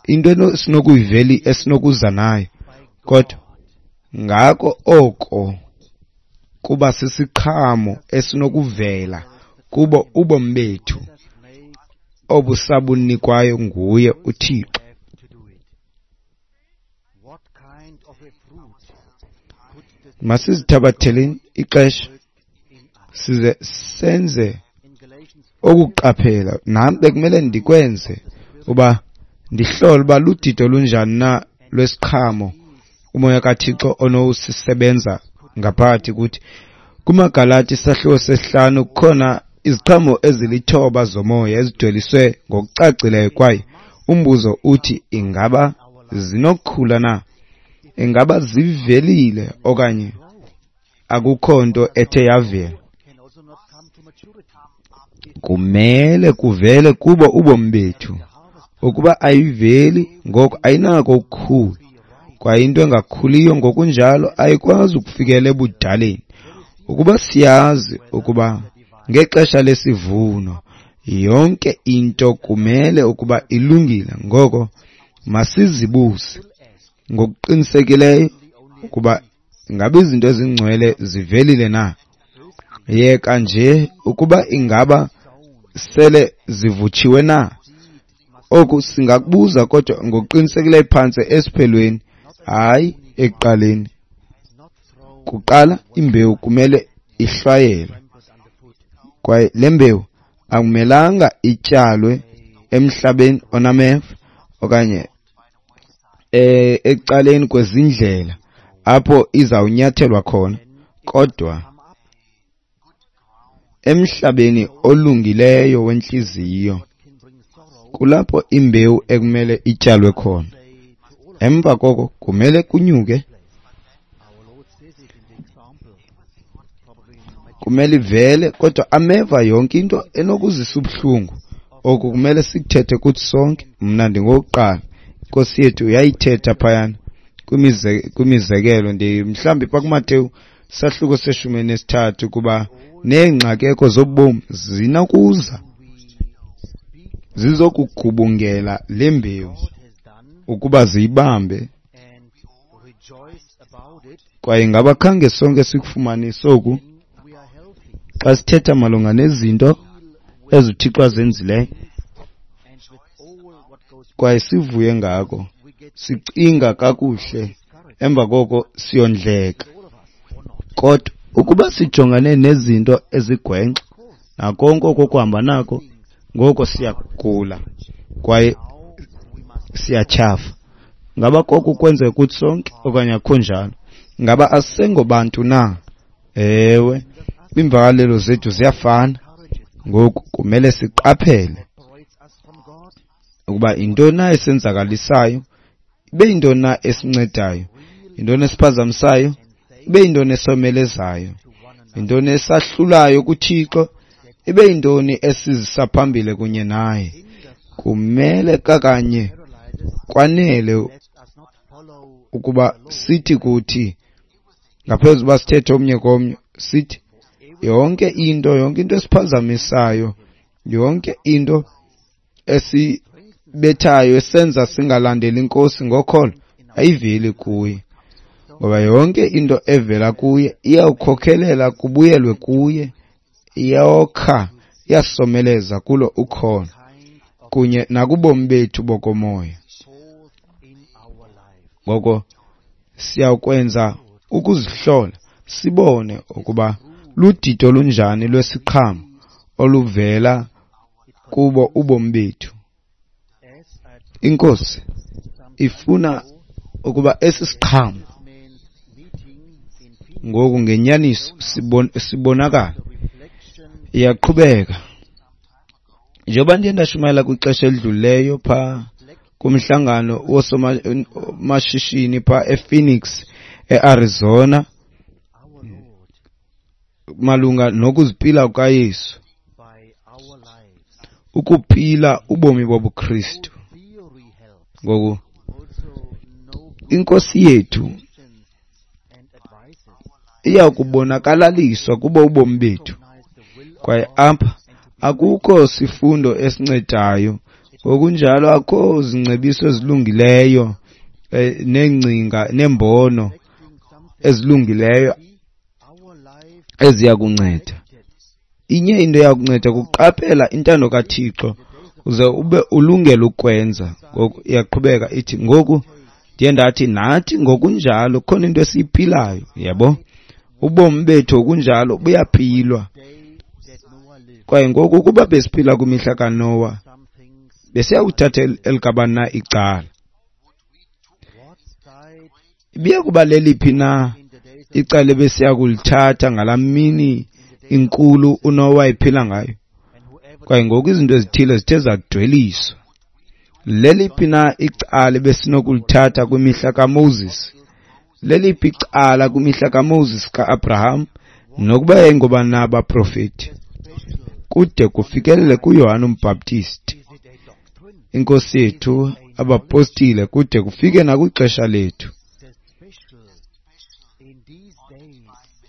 into esinokuyiveli esinokuza nayo, kodwa Ngako oko kuba sisiqhamo esinokuvela kubo ubomi bethu obusabunikwayo nguye uThixo. Masizithabatheleni ixesha size senze okuqaphela. Nam bekumele ndikwenze uba ndihlole uba ludidi olunjani na lwesiqhamo umoya kaThixo onowusisebenza ngaphakathi kuthi. KumaGalati isahluko sesihlanu kukhona iziqhamo ezilithoba zomoya ezidweliswe ngokucacileyo, kwaye umbuzo uthi ingaba zinokukhula na? Ingaba zivelile okanye akukho nto ethe yavela? Kumele kuvele kubo ubomi bethu. Ukuba ayiveli, ngoko ayinako ukukhula. Kwaye into engakhuliyo ngokunjalo ayikwazi ukufikela ebudaleni. Ukuba siyazi ukuba ngexesha lesivuno yonke into kumele ukuba ilungile, ngoko masizibuze ngokuqinisekileyo ukuba ingaba izinto ezingcwele zivelile na. Yeka nje ukuba ingaba sele zivutshiwe na. Oku singakubuza kodwa ngokuqinisekileyo phantse esiphelweni, hayi ekuqaleni. Kuqala imbewu kumele ihlwayelwe, kwaye le mbewu akumelanga ityalwe emhlabeni onameva okanye ecaleni kwezindlela apho izawunyathelwa khona, kodwa emhlabeni olungileyo wentliziyo kulapho imbewu ekumele ityalwe khona. Emva koko kumele kunyuke, kumele ivele, kodwa ameva yonke into enokuzisa ubuhlungu. Oku kumele sikuthethe kuthi sonke. Mna ndingowokuqala. Inkosi yethu yayithetha phayana kwimizekelo, mhlawumbi pha kuMateyu sahluko se-13, kuba neengxakeko zobomi zinokuza zizokugubungela le mbewu ukuba ziyibambe. Kwaye ngaba khange sonke sikufumanise oku xa sithetha malunga nezinto ezuThixo azenzileyo kwaye sivuye ngako, sicinga kakuhle, emva koko siyondleka. Kodwa ukuba sijongane nezinto ezigwenxa nakonke oko kuhamba nako, ngoko siyagula kwaye siyatyhafa. Ngaba koko kwenzeka kuthi sonke okanye akukho njalo? Ngaba asengobantu na? Ewe, iimvakalelo zethu ziyafana. Ngoku kumele siqaphele ukuba yintoni na esenzakalisayo, ibe yintoni na esincedayo, yintoni esiphazamisayo, ibe yintoni esomelezayo, yintoni esahlulayo kuThixo, ibe yintoni esizisa phambili kunye naye. Kumele kakanye kwanele ukuba sithi kuthi, ngaphezu uba sithethe omnye komnye, sithi yonke into esiphazamisayo, yonke into esibethayo esenza singalandeli inkosi ngokholo, ayiveli kuye. Ngoba yonke into evela kuye iyawukhokhelela kubuyelwe kuye, iyawokha, iyasomeleza kulo ukholo kunye nakubomi bethu bokomoya. Ngoko siyawukwenza ukuzihlola sibone ukuba ludidi olunjani lwesiqhamo oluvela kubo ubomi bethu. Inkosi ifuna ukuba esi siqhamo ngoku ngenyaniso sibonakala. Iyaqhubeka. Njengoba ndiye ndashumayela kwixesha elidlulileyo pha kumhlangano woosomashishini pha ePhoenix eArizona malunga nokuzipila kukaYesu, ukuphila ubomi bobuKristu. Ngoku inkosi yethu iya kubonakalaliswa kubo ubomi bethu, kwaye apha akukho sifundo esincedayo, ngokunjalo akukho zingcebiso ezilungileyo neengcinga neembono. ezilungileyo eziya kunceda. Inye into eyakunceda kuqaphela intando kaThixo uze ube ulungele ukwenza. Ngoku iyaqhubeka ithi, ngoku ndiye ndathi nathi ngokunjalo khona into esiyiphilayo, yabo. Ubomi bethu okunjalo buyaphilwa. Kwaye ngoku ukuba besiphila kwimihla kaNowa, besiyakuthatha elikabani na icala? Ibiya kuba leliphi na icala ebesiya kulithatha ngalaa mini inkulu uNowa ephila ngayo? Kwaye ngoku izinto ezithile zithe zadweliswa. Leliphi na icala ebesinokulithatha kwimihla kaMoses? Leliphi icala kwimihla kaMoses, kaAbraham, nokuba yayingobani na abaprofeti, kude kufikelele kuYohane uMbhaptisti, iNkosi yethu, abapostile, kude kufike nakwixesha lethu?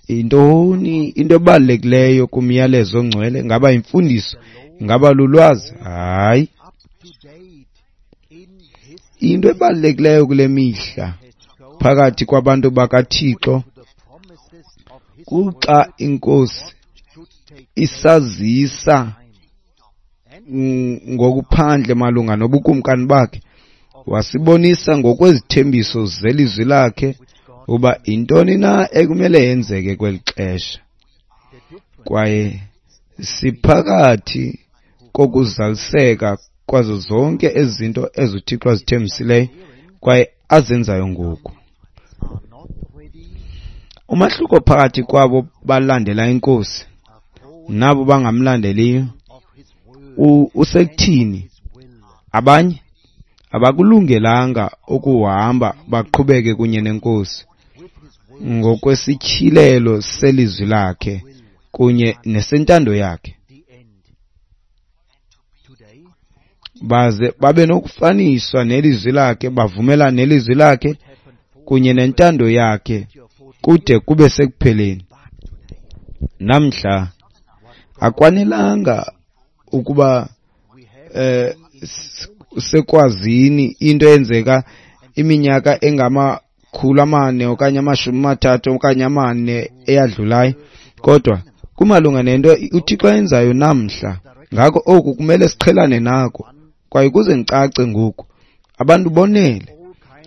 Intoni into ebalulekileyo kumyalezo ongcwele? Ngaba imfundiso? Ngaba lulwazi? Hayi. Into ebalulekileyo kule mihla phakathi kwabantu bakaThixo kuxa iNkosi isazisa ngokuphandle malunga nobukumkani bakhe, wasibonisa ngokwezithembiso zelizwi lakhe uba intoni na ekumele yenzeke kweli xesha. Kwaye siphakathi kokuzaliseka kwazo zonke ezinto ezuThixo azithembisileyo kwaye azenzayo ngoku. Umahluko phakathi kwabo balandela iNkosi nabo bangamlandeliyo usekuthini? Abanye abakulungelanga ukuhamba baqhubeke kunye neNkosi ngokwesityhilelo selizwi lakhe kunye nesentando yakhe, baze babe nokufaniswa nelizwi lakhe, bavumelane nelizwi lakhe kunye nentando yakhe kude kube sekupheleni. Namhla akwanelanga ukuba sekwazini into eyenzeka iminyaka engama-400 okanye 30 okanye 4 eyadlulayo, kodwa kumalunga nento uThixo ayenzayo namhla. Ngako oku kumele siqhelane nako. Kwaye kuze ndicace ngoku, abantu bonele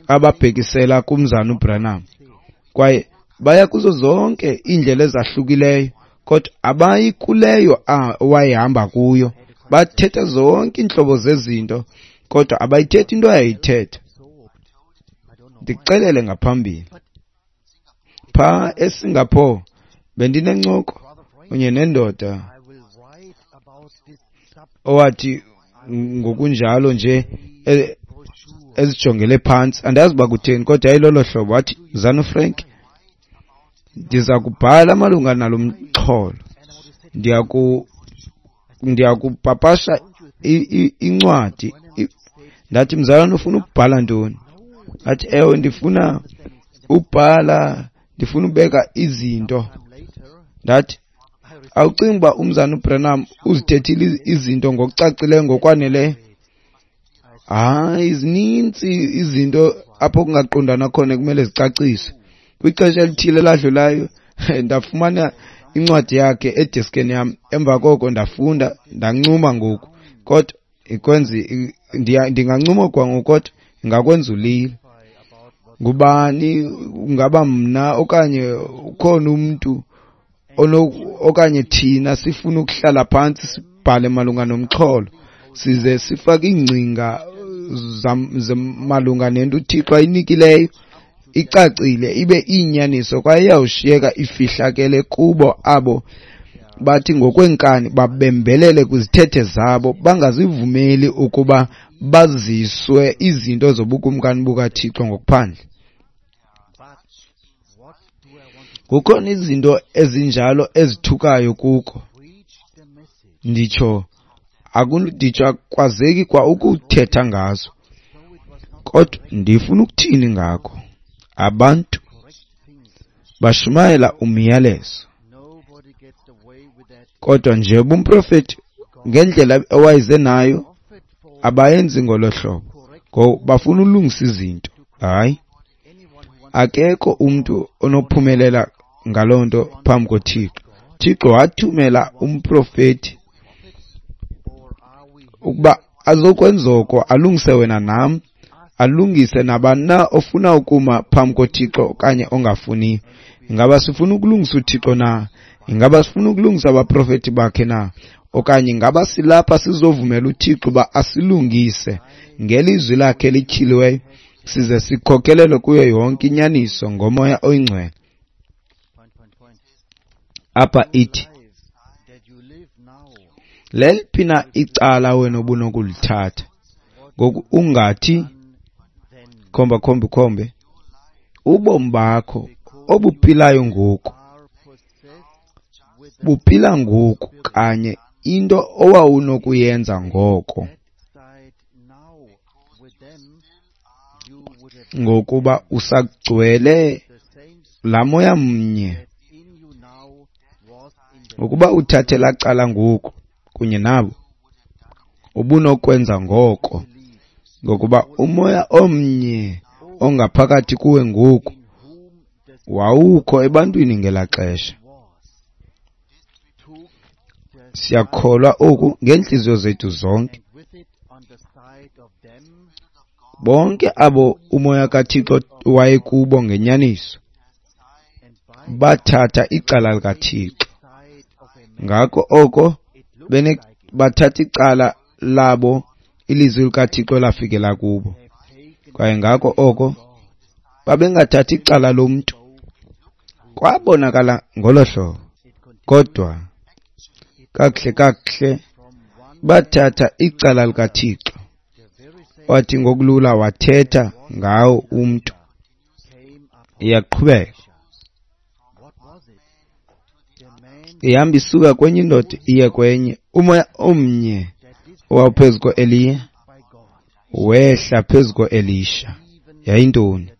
ababhekisela kumzana uBranham, kwaye baya kuzo zonke iindlela ezahlukileyo, kodwa abayi kuleyo wayehamba kuyo. Bathetha zonke iintlobo zezinto, kodwa abayithethi into ayayithetha. Ndikuxelele ngaphambili, phaa eSingapore bendinencoko kunye nendoda owathi ngokunjalo nje ezijongele phantsi, andazi uba kutheni, kodwa yayilolo hlobo. Wathi, Mzana uFrank, ndiza kubhala malunga nalo mxholo, ndiyakupapasha incwadi. Ndathi, mzalwane, ufuna ukubhala ntoni? Athi, ewe, ndifuna ubhala, ndifuna ubeka izinto. Ndathi, awucingi uba umzana uBranham uzithethile izinto ngokucacileyo ngokwaneleyo? Hayi, zininzi izinto apho kungaqondana khona kumele zicaciswe. Kwixesha elithile eladlulayo ndafumana incwadi yakhe edeskeni yam. Emva koko ndafunda, ndancuma ngoku, kodwa ikwenza ndingancuma kwangoku, kodwa ingakwenza ulile. Ngubani, ngaba mna okanye ukhona umntu okanye thina sifuna ukuhlala phantsi sibhale malunga nomxholo, size sifake iingcinga malunga nento uThixo ayinikileyo icacile, ibe iyinyaniso, kwaye iyawushiyeka ifihlakele kubo abo bathi ngokweenkani babembelele kwizithethe zabo, bangazivumeli ukuba baziswe izinto zobukumkani bukaThixo ngokuphandle. Kukhona izinto ezinjalo ezithukayo kuko. Nditsho akwazeki kwa ukuthetha ngazo, kodwa ndifuna ukuthini ngako? Abantu bashumayela umyalezo, kodwa nje umprofeti ngendlela owayeze nayo abayenzi ngolo hlobo, ngoba bafuna ulungisa izinto. Hayi, Akekho umntu onophumelela ngaloo nto phambi koThixo. Thixo wathumela umprofeti ukuba azokwenza oko, alungise wena nam, alungise nabani na ofuna ukuma phambi koThixo okanye ongafuniyo. Ingaba sifuna ukulungisa uThixo na? Ingaba sifuna ukulungisa abaprofeti bakhe na? Okanye ingaba silapha sizovumela uThixo uba asilungise ngelizwi lakhe elityhiliweyo, size sikhokelelwe kuyo yonke inyaniso ngoMoya oyiNgcwele? Apha ithi, leliphi na icala wena obunokulithatha? Ngoku ungathi khomba khombe khombe, ubomi bakho obuphilayo ngoku buphila ngoku kanye into owawunokuyenza ngoko, ngokuba usagcwele laa moya mnye. Ukuba uthathe laa cala ngoku kunye nabo, ubunokwenza ngoko, ngokuba umoya omnye ongaphakathi kuwe ngoku wawukho ebantwini ngelaa xesha. Siyakholwa oku ngeentliziyo zethu zonke. Bonke abo umoya kaThixo wayekubo ngenyaniso bathatha icala likaThixo. Ngako oko bathatha icala labo, ilizwi likaThixo lafikela kubo. Kwaye ngako oko babengathathi icala lomntu. Kwabonakala ngolo hlobo, kodwa kakuhle kakuhle bathatha icala likaThixo. Wathi ngokulula wathetha ngawo umntu. Iyaqhubeka ihamba isuka kwenye indoda iye kwenye. Umoya omnye owawuphezu ko-Eliya wehla phezu ko-Elisha. Yayintoni?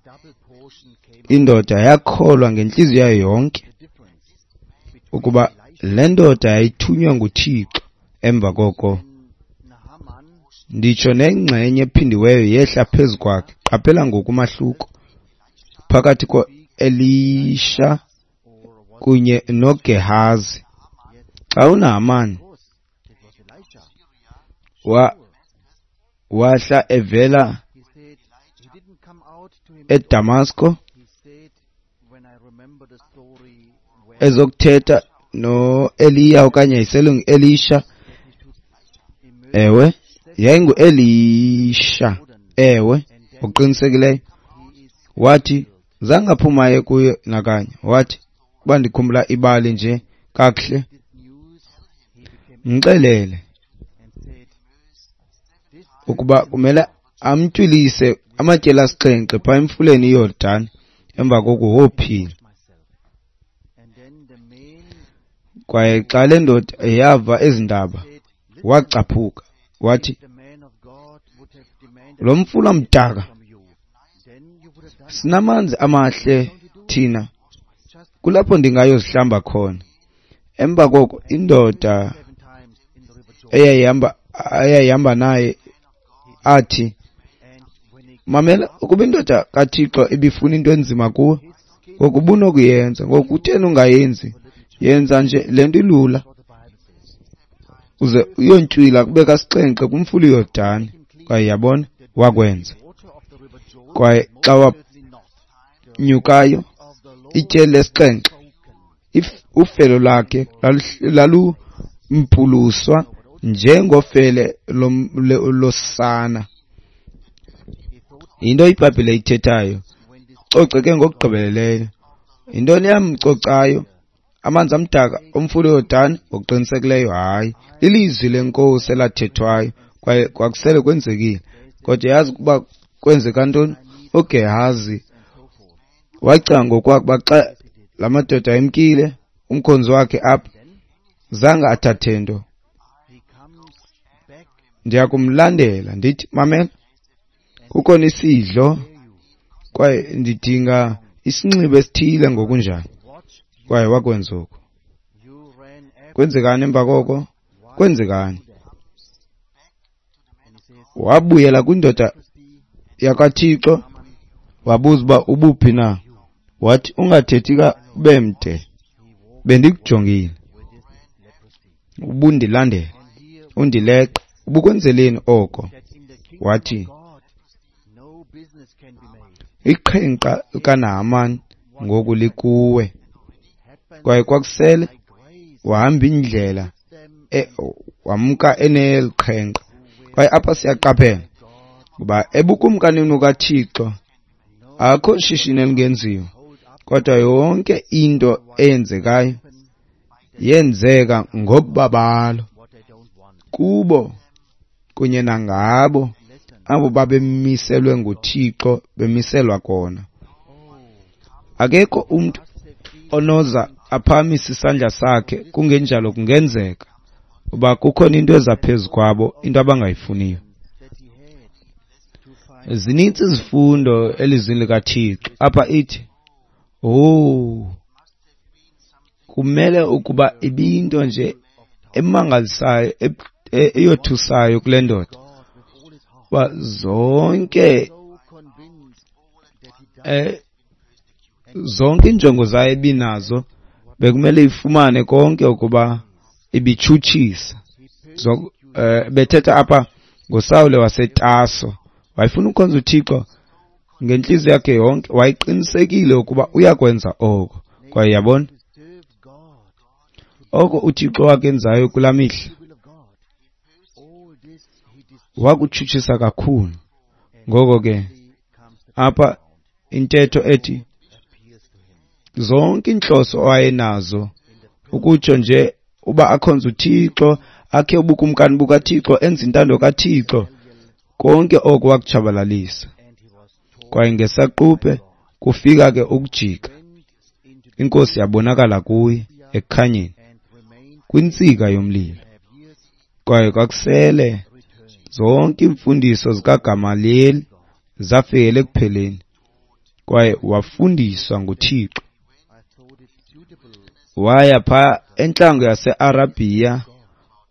Indoda yakholwa ngentliziyo yayo yonke ukuba le ndoda yayithunywa nguThixo. Emva koko nditsho nengxenye ephindiweyo yehla phezu kwakhe. Qaphela ngoku umahluko phakathi ko-Elisha kunye noGehazi. Xa uNahamani wahla evela eDamasko ezokuthetha noEliya okanye yayiselengu-Elisha, ewe, yayingu-Elisha, ewe, ngokuqinisekileyo. Wathi zange aphumaye kuye nakanye. Wathi, uba ndikhumbula ibali nje kakuhle, mxelele ukuba kumele amntywilise amatyeli asixhenxe phaa emfuleni iYordani, emva koko wophila. Kwaye xa le ndoda yava ezi ndaba, wacaphuka, wathi, lo mfula mdaka, sinamanzi amahle thina, kulapho ndingayozihlamba khona. Emva koko indoda eyayihamba naye athi, mamela, ukuba indoda kaThixo ibifuna into enzima kuwe, ngoku ubunokuyenza, ngoku kutheni ungayenzi? Yenza nje le nto ilula, uze uyontywila kube kasixhenxe kumfula iYordani. Kwaye yabona, wakwenza. Kwaye xa wanyukayo ityeli lesixhenxe, ufele lwakhe lalumpuluswa njengofele losana. Yinto iBhayibhile ithethayo. Coceke ngokugqibeleleyo. Yintoni yamcocayo? Amanzi amdaka omfula iYordani? Ngokuqinisekileyo hayi. Lilizwi lenkosi elathethwayo, kwaye kwakusele kwenzekile. Kodwa yazi ukuba kwenzeka ntoni? uGehazi wacinga ngokwakhe xa la madoda emkile, umkhonzi wakhe apha zange athathe nto. Ndiyakumlandela ndithi, mamela, kukhona isidlo kwaye ndidinga isinxibo esithile ngokunjalo. Kwaye wakwenza oku. Kwenzekani emva koko? Kwenzekani? Wabuyela kwindoda yakwaThixo, wabuza uba ubuphi na. Wathi, ungathethi ube mde, bendikujongile, ubundilandela, undileqa, ubukwenzeleni oko? Wathi, iqhenqa likaNahaman ngoku likuwe. Kwaye kwakusele wahamba indlela, wamka eneliqhenqa. Kwaye apha siyaqaphela ngoba ebukumkanini bukaThixo akho shishini elingenziwa, kodwa yonke into eyenzekayo yenzeka ngobabalo kubo kunye nangabo abo babemiselwe nguThixo, bemiselwa kona. Akekho umntu onoza aphakamise isandla sakhe, kungenjalo kungenzeka uba kukhona into eza phezu kwabo, into abangayifuniyo. Zininzi izifundo elizwini likaThixo. Apha ithi, oh, kumele ukuba ibinto nje emangalisayo, eyothusayo kule ndoda, uba zonke injongo zayo ebinazo bekumele ifumane konke ukuba ibitshutshisa. Bethetha apha ngoSawule waseTaso, wayefuna ukukhonza uThixo ngentliziyo yakhe yonke, wayeqinisekile ukuba uyakwenza oko. Kwaye yabona oko uThixo wakenzayo kulaa mihla, wakutshutshisa kakhulu. Ngoko ke apha intetho ethi zonke inhloso awayenazo, ukutsho nje uba akhonze uThixo, akhe ubukumkani bukaThixo, enze intando kaThixo, konke oko wakutshabalalisa. Kwaye ngesaquphe kufika ke ukujika, iNkosi yabonakala kuye ekukhanyeni kwintsika yomlilo. Kwaye kwakusele zonke iimfundiso zikaGamaliyeli zafikela ekupheleni, kwaye wafundiswa nguThixo. Waya phaa entlango yaseArabhiya,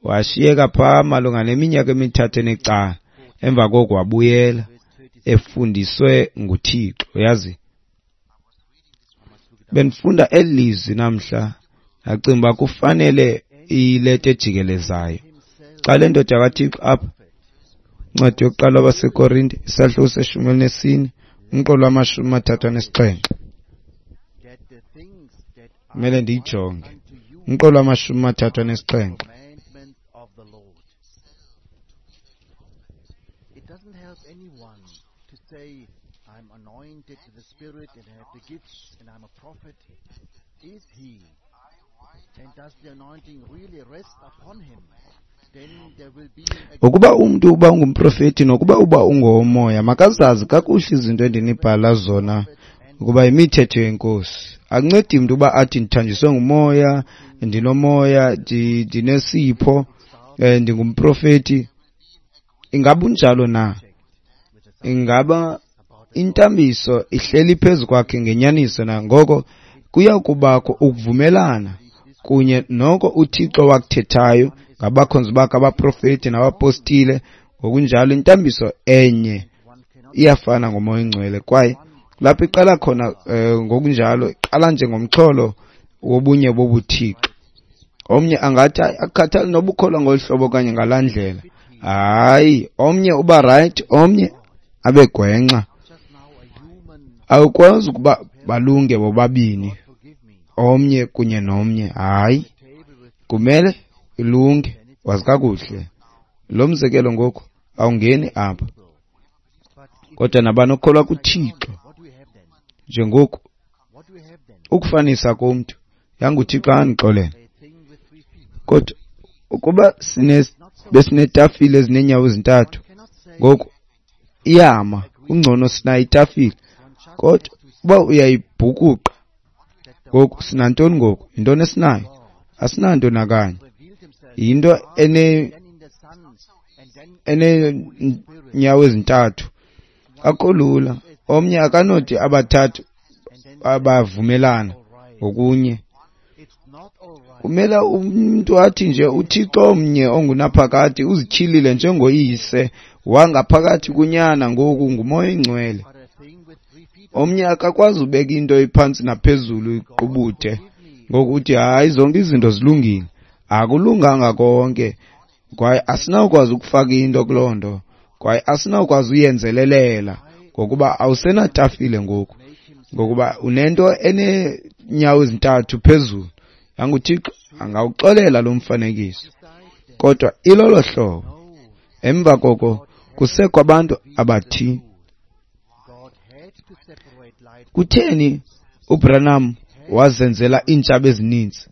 washiyeka phaa malunga neminyaka 3 necala. Emva koko wabuyela efundiswe nguThixo. Uyazi, bendifunda eli lizwi namhla, ndacinga uba kufanele ileta ejikelezayo. Xa le ndoda kaThixo apha, incwadi yokuqala kwabaseKorinte, isahluko se-14, umqolo wama-37. Kumele ndiyijonge. Umqolo wama-37. It doesn't help anyone to say, I'm anointed with the Spirit and have the gifts and I'm a prophet. Is he? And does the anointing really rest upon him? Then there will be a Ukuba umntu uba ungumprofeti nokuba uba ungowomoya, makazazi kakuhle izinto endinibhala zona ukuba yimithetho yeNkosi. Akuncedi mntu uba athi ndithanjiswe ngumoya, ndinomoya, ndinesipho, ndingumprofeti. Ingaba unjalo na? Ingaba intambiso ihleli phezu kwakhe ngenyaniso na? Ngoko kuya kubakho ukuvumelana kunye noko uThixo wakuthethayo ngabakhonzi bakhe abaprofeti nabapostile. Ngokunjalo intambiso enye iyafana ngoMoya oNgcwele, kwaye lapho iqala khona, ngokunjalo iqala njengomxholo wobunye bobuThixo. Omnye angathi akukhathali noba ukholwa ngolu hlobo okanye ngalaa ndlela. Hayi, omnye uba right, omnye abe gwenxa. Awukwazi ukuba balunge bobabini, omnye kunye nomnye. Hayi, kumele ilunge, wazi kakuhle. Lo mzekelo ngoku awungeni apha, kodwa nabani okholwa kuThixo njengoku ukufanisa komntu, yanguThixo andixolele. Kodwa ukuba besinetafile ezineenyawo ezintathu, ngoku iyama, kungcono sinayo itafile. Kodwa uba uyayibhukuqa ngoku, sinantoni ngoku? Yintoni esinayo? Asinanto nakanye. Yinto eneenyawo ezintathu. Akho lula. Omnye akanothi abathathu abavumelana ngokunye. Kumele umntu athi nje uThixo omnye ongunaphakade uzityhilile njengoyise wangaphakathi kunyana, ngoku nguMoya oNgcwele. Omnye akakwazi ubeka into iphantsi naphezulu iqubuthe ngokuthi hayi zonke izinto zilungile. Akulunganga konke, kwaye asinawukwazi ukufaka into kuloo nto, kwaye asinawukwazi uyenzelelela ngokuba awusenatafile ngoku, ngokuba unento eneenyawo ezintathu phezulu. YanguThixo angawuxolela lo mfanekiso, kodwa ilolo hlobo. Emva koko kusekho abantu abathi, kutheni uBranham wazenzela iintshaba ezininzi?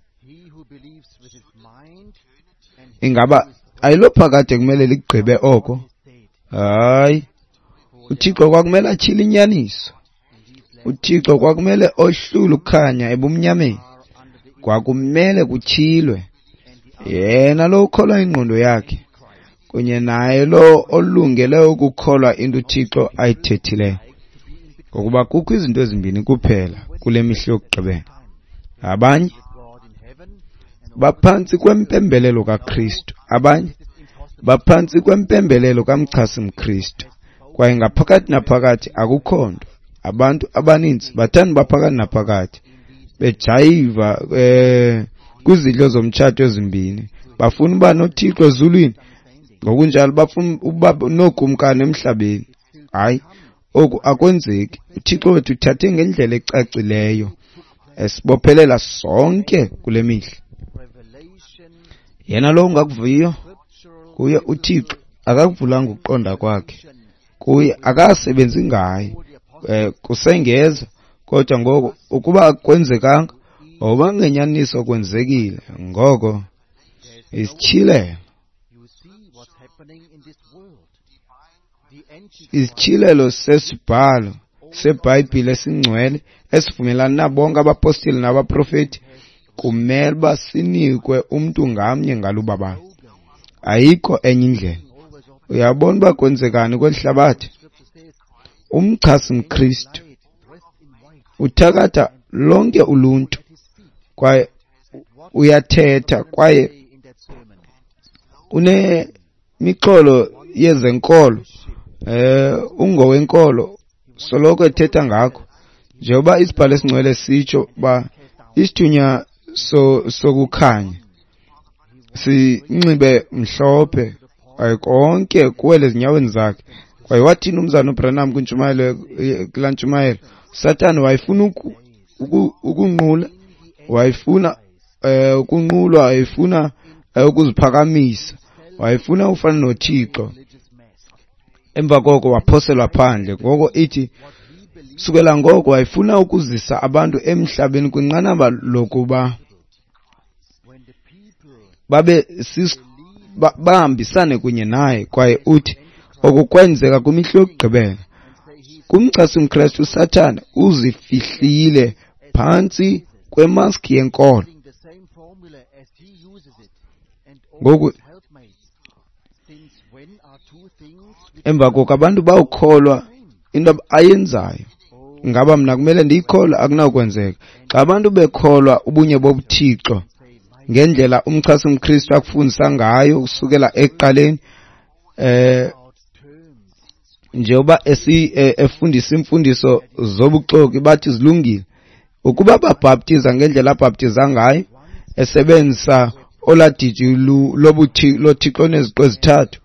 Ingaba ayilophakade kumele ligqibe oko? Hayi, uThixo kwakumele atyhile inyaniso. uThixo kwakumele ohlule ukukhanya ebumnyameni. Kwakumele kutyhilwe. Yena lo ukholwa ingqondo yakhe kunye naye lo olungele ukukholwa into uThixo ayithethileyo. Ngokuba kukho izinto ezimbini kuphela kule mihla yokugqibela. Abanye baphantsi kwempembelelo kaKristu, abanye baphantsi kwempembelelo kamchasi mKristu. Kwaye ngaphakathi naphakathi akukho nto. Abantu abaninzi bathanda baphakathi naphakathi, bejayiva kwizidlo zomtshato ezimbini. Bafuna uba noThixo ezulwini, ngokunjalo bafuna uba nookumkani emhlabeni. Hayi, oku akwenzeki. uThixo wethu uthathe ngendlela ecacileyo esibophelela sonke kule mihla. Yena lo ungakuviyo kuye uThixo akakuvulanga ukuqonda kwakhe, kuye akasebenzi ngaye, kusengeza. Kodwa ngoko ukuba akwenzekanga, oba ngenyaniso kwenzekile, ngoko isityhilelo, isityhilelo sesibhalo seBhayibhile esingcwele esivumelana nabo bonke abapostile nabaprofeti kumele uba sinikwe umntu ngamnye ngalubabalo. Ayikho enye indlela. Uyabona uba kwenzekani kweli hlabathi? Umchasi mKristu uthakatha lonke uluntu kwaye uyathetha kwaye unemixholo yezenkolo, ungowenkolo, soloko ethetha ngakho. Njengoba isibhalo esingcwele sitsho uba isithunywa sokukhanya sinxibe mhlophe kwaye konke kuwele ezinyaweni zakhe. Kwaye wathini umzana uBranham kwintshumayelo, kulaa ntshumayelo? Sathane wayefuna ukunqula, wayefuna ukunqulwa, wayefuna ukuziphakamisa, wayefuna ufana noThixo. Emva koko waphoselwa phandle. Ngoko ithi sukela ngoko wayefuna ukuzisa abantu emhlabeni kwinqanaba lokuba babe bahambisane kunye naye. Kwaye uthi oku kwenzeka kwimihla yokugqibela. Kumchasi mKristu uSathane uzifihlile phantsi kwemaski yenkolo. Ngoku emva koko abantu bawukholwa into ayenzayo. Ngaba mna kumele ndiyikholwe? Akunawukwenzeka. Xa abantu bekholwa ubunye bobuThixo ngendlela umchasi mKristu akufundisa ngayo kusukela ekuqaleni, njengoba efundisa imfundiso zobuxoki bathi zilungile, ukuba babhaptiza ngendlela abhaptiza ngayo esebenzisa oladiji loThixo neziqu ezithathu,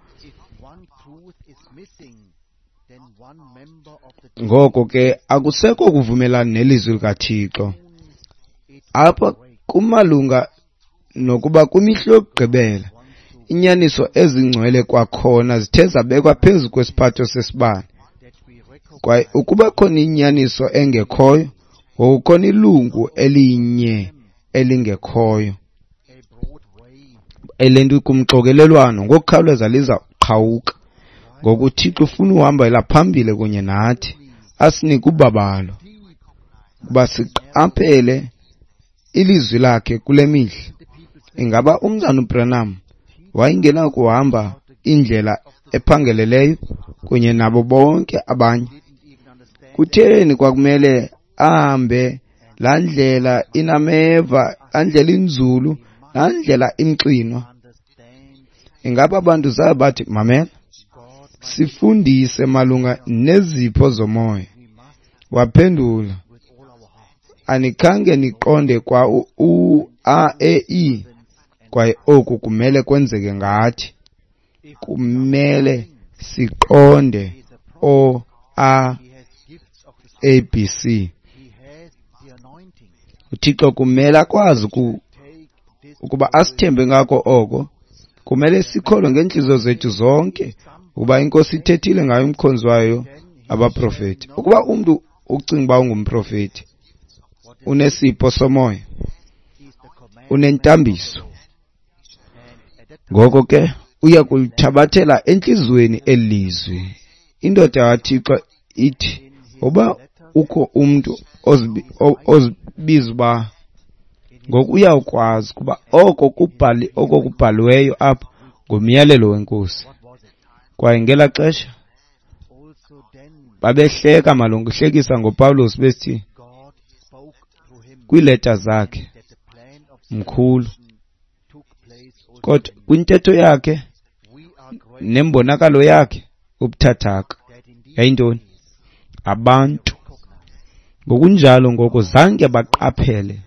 ngoko ke akusekho kuvumelana nelizwi likaThixo. Apha kumalunga nokuba kwimihla yokugqibela inyaniso ezingcwele kwakhona zithe zabekwa phezu kwesiphatho sesibane. Kwaye ukuba khona inyaniso engekhoyo, ngokukhona ilungu elinye elingekhoyo elento kumxokelelwano ngokukhawuleza liza qhawuka. Ngoku uThixo ufuna uhambela phambili kunye nathi, asinike ubabalo ukuba siqaphele ilizwi lakhe kule mihla. Ingaba umzana uBranham wayengena kuhamba indlela ephangeleleyo kunye nabo bonke abanye? Kutheni kwakumele ahambe laa ndlela inameva, laa ndlela inzulu, laa ndlela imxinwa? Ingaba abantu zabe bathi, mamela, sifundise malunga nezipho zomoya. Waphendula, anikhange niqonde kwa u A E I, kwaye oku kumele kwenzeke ngathi. Kumele siqonde O A A B C. UThixo kumele akwazi ukuba asithembe ngako oko. Kumele sikholwe ngeentliziyo zethu zonke ukuba iNkosi ithethile ngayo umkhonzi wayo abaprofeti. Ukuba umntu ucinga uba ungumprofeti, unesipho somoya, unentambiso, ngoko ke uya kulithabathela entliziyweni eli lizwi. Indoda kaThixo ithi uba ukho umntu ozibiza uba, ngoku uyawukwazi kuba oko kubhaliweyo apha ngumyalelo weNkosi. Kwaye ngelaa xesha babehleka malunga uhlekisa ngoPawulos besithi kwiileta zakhe mkhulu, kodwa kwintetho yakhe nembonakalo yakhe ubuthathaka. Yayintoni? Abantu ngokunjalo ngoko zange baqaphele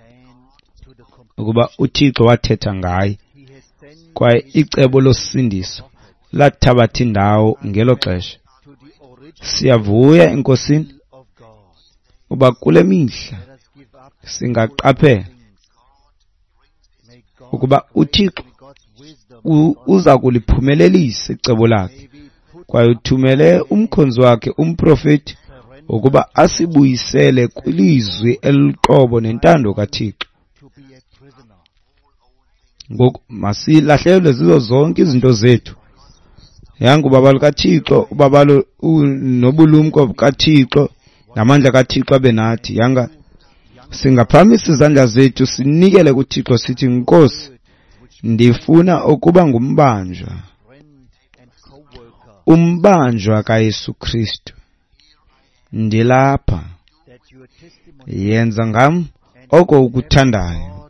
ukuba uThixo wathetha ngaye, kwaye icebo losindiso lathabatha indawo ngelo xesha. Siyavuya eNkosini uba kule mihla singaqaphela ukuba uThixo uza kuliphumelelisa icebo lakhe, kwaye uthumele umkhonzi wakhe umprofeti ukuba asibuyisele kwilizwi eliqobo nentando kaThixo. Ngoku masilahlelwe zizo zonke izinto zethu. Yanga ubabalo kaThixo, ubabalo nobulumko bukaThixo namandla kaThixo abe nathi. Yanga singaphakamisa izandla zethu sinikele kuThixo sithi, Nkosi, ndifuna ukuba ngumbanjwa, umbanjwa kaYesu Kristu. Ndilapha, yenza ngam oko ukuthandayo.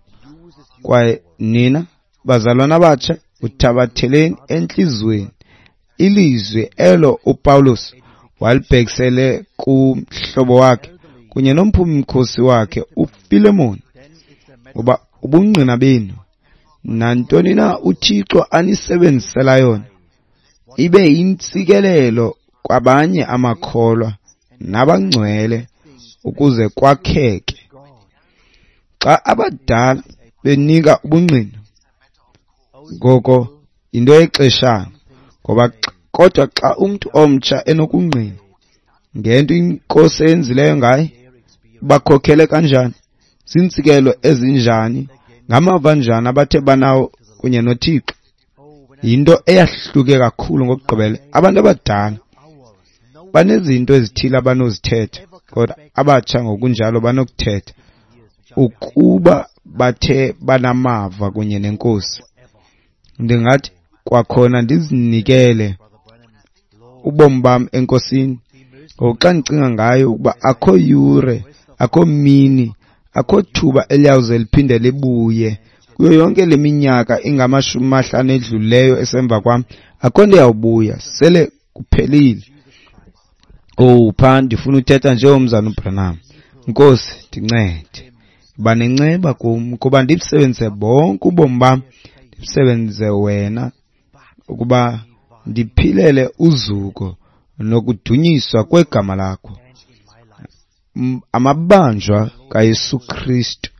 Kwaye nina bazalwana abatsha, uthabatheleni entliziyweni ilizwi elo uPawulos walibhekisele kumhlobo wakhe kunye nomphumi-mkhosi wakhe uFilemon, ngoba ubungqina benu nantoni na uThixo anisebenzisela yona ibe yintsikelelo kwabanye amakholwa nabangcwele ukuze kwakheke. Xa abadala benika ubungqina, ngoko yinto yexeshana, ngoba kodwa xa umntu omtsha enokungqina ngento iNkosi eyenzileyo ngaye, bakhokhele kanjani, ziintsikelo ezinjani, ngamava njani abathe banawo kunye noThixo, yinto eyahluke kakhulu ngokugqibele. Abantu abadala banezinto ezithile abanozithetha, kodwa abatsha ngokunjalo banokuthetha ukuba bathe banamava kunye neNkosi. Ndingathi kwakhona ndizinikele ubomi bam eNkosini. Ngoku xa ndicinga ngayo ukuba akho yure, akho mini, akho thuba eliyawuze liphinde libuye kuyo yonke le minyaka ingama-50 edlulileyo esemva kwam, akho nto iyawubuya, sele kuphelile. Oh, phaa ndifuna uthetha njengomzana uBranham. Nkosi, ndincede, yiba nenceba kum, kuba ndibusebenzise bonke ubomi bam, ndibusebenzise wena ukuba ndiphilele uzuko nokudunyiswa kwegama lakho. Amabanjwa kaYesu Kristu,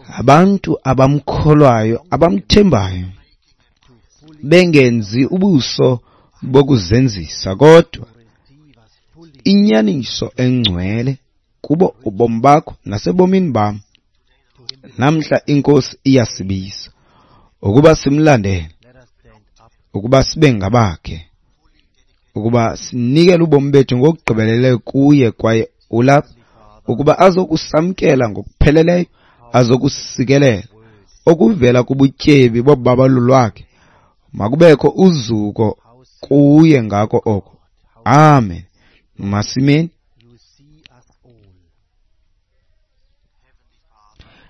abantu abamkholwayo, abamthembayo, bengenzi ubuso bokuzenzisa, kodwa inyaniso engcwele kubo ubomi bakho nasebomini bam. Namhla iNkosi iyasibisa ukuba simlandele, ukuba sibe ngabakhe, ukuba sinikele ubomi bethu ngokugqibeleleyo kuye, kwaye ulapha ukuba azokusamkela ngokupheleleyo, azokusikelela okuvela kubutyebi bobabalo lwakhe. Makubekho uzuko kuye ngako oko. Amen. Masimeni.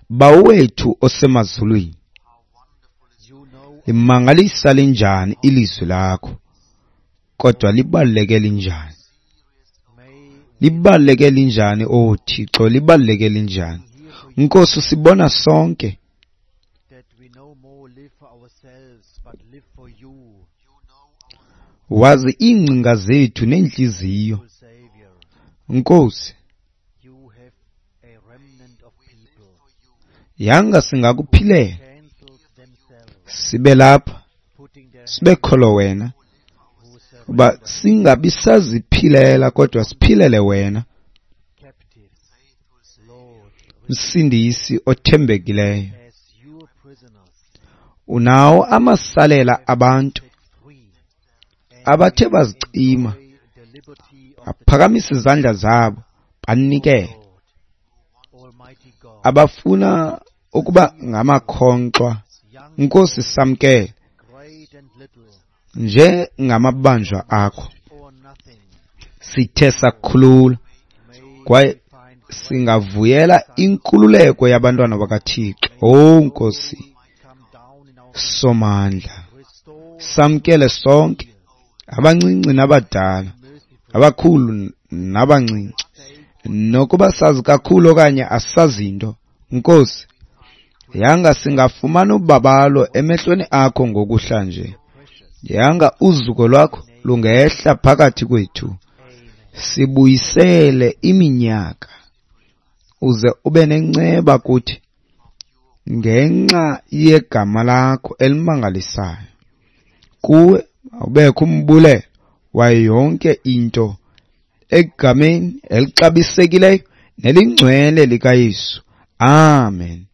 Bawo wethu osemazulwini, limangalisa linjani ilizwi lakho, kodwa libaluleke linjani. Libaluleke linjani, oh Thixo, libaluleke linjani. Nkosi, sibona sonke wazi iingcinga zethu neentliziyo. Nkosi, yanga singakuphilela, sibe lapha, sibe kholo wena, uba singabi saziphilela kodwa siphilele wena, Msindisi othembekileyo. Unawo amasalela abantu abathe bazicima, baphakamisa izandla zabo banikele, abafuna ukuba ngamakhonkxwa. Nkosi, samkele njengamabanjwa akho. Sithe sakhulula kwaye singavuyela inkululeko yabantwana bakaThixo. Oh Nkosi Somandla, samkele sonke, abancinci nabadala, abakhulu nabancinci, nokuba sazi kakhulu okanye asazinto. Nkosi, yanga singafumana ubabalo emehlweni akho ngokuhla nje. Yanga uzuko lwakho lungehla phakathi kwethu, sibuyisele iminyaka, uze ube nenceba kuthi ngenxa yegama lakho elimangalisayo. Kuwe awubekho umbulelo wayo yonke into, egameni elixabisekileyo nelingcwele likaYesu. Amen.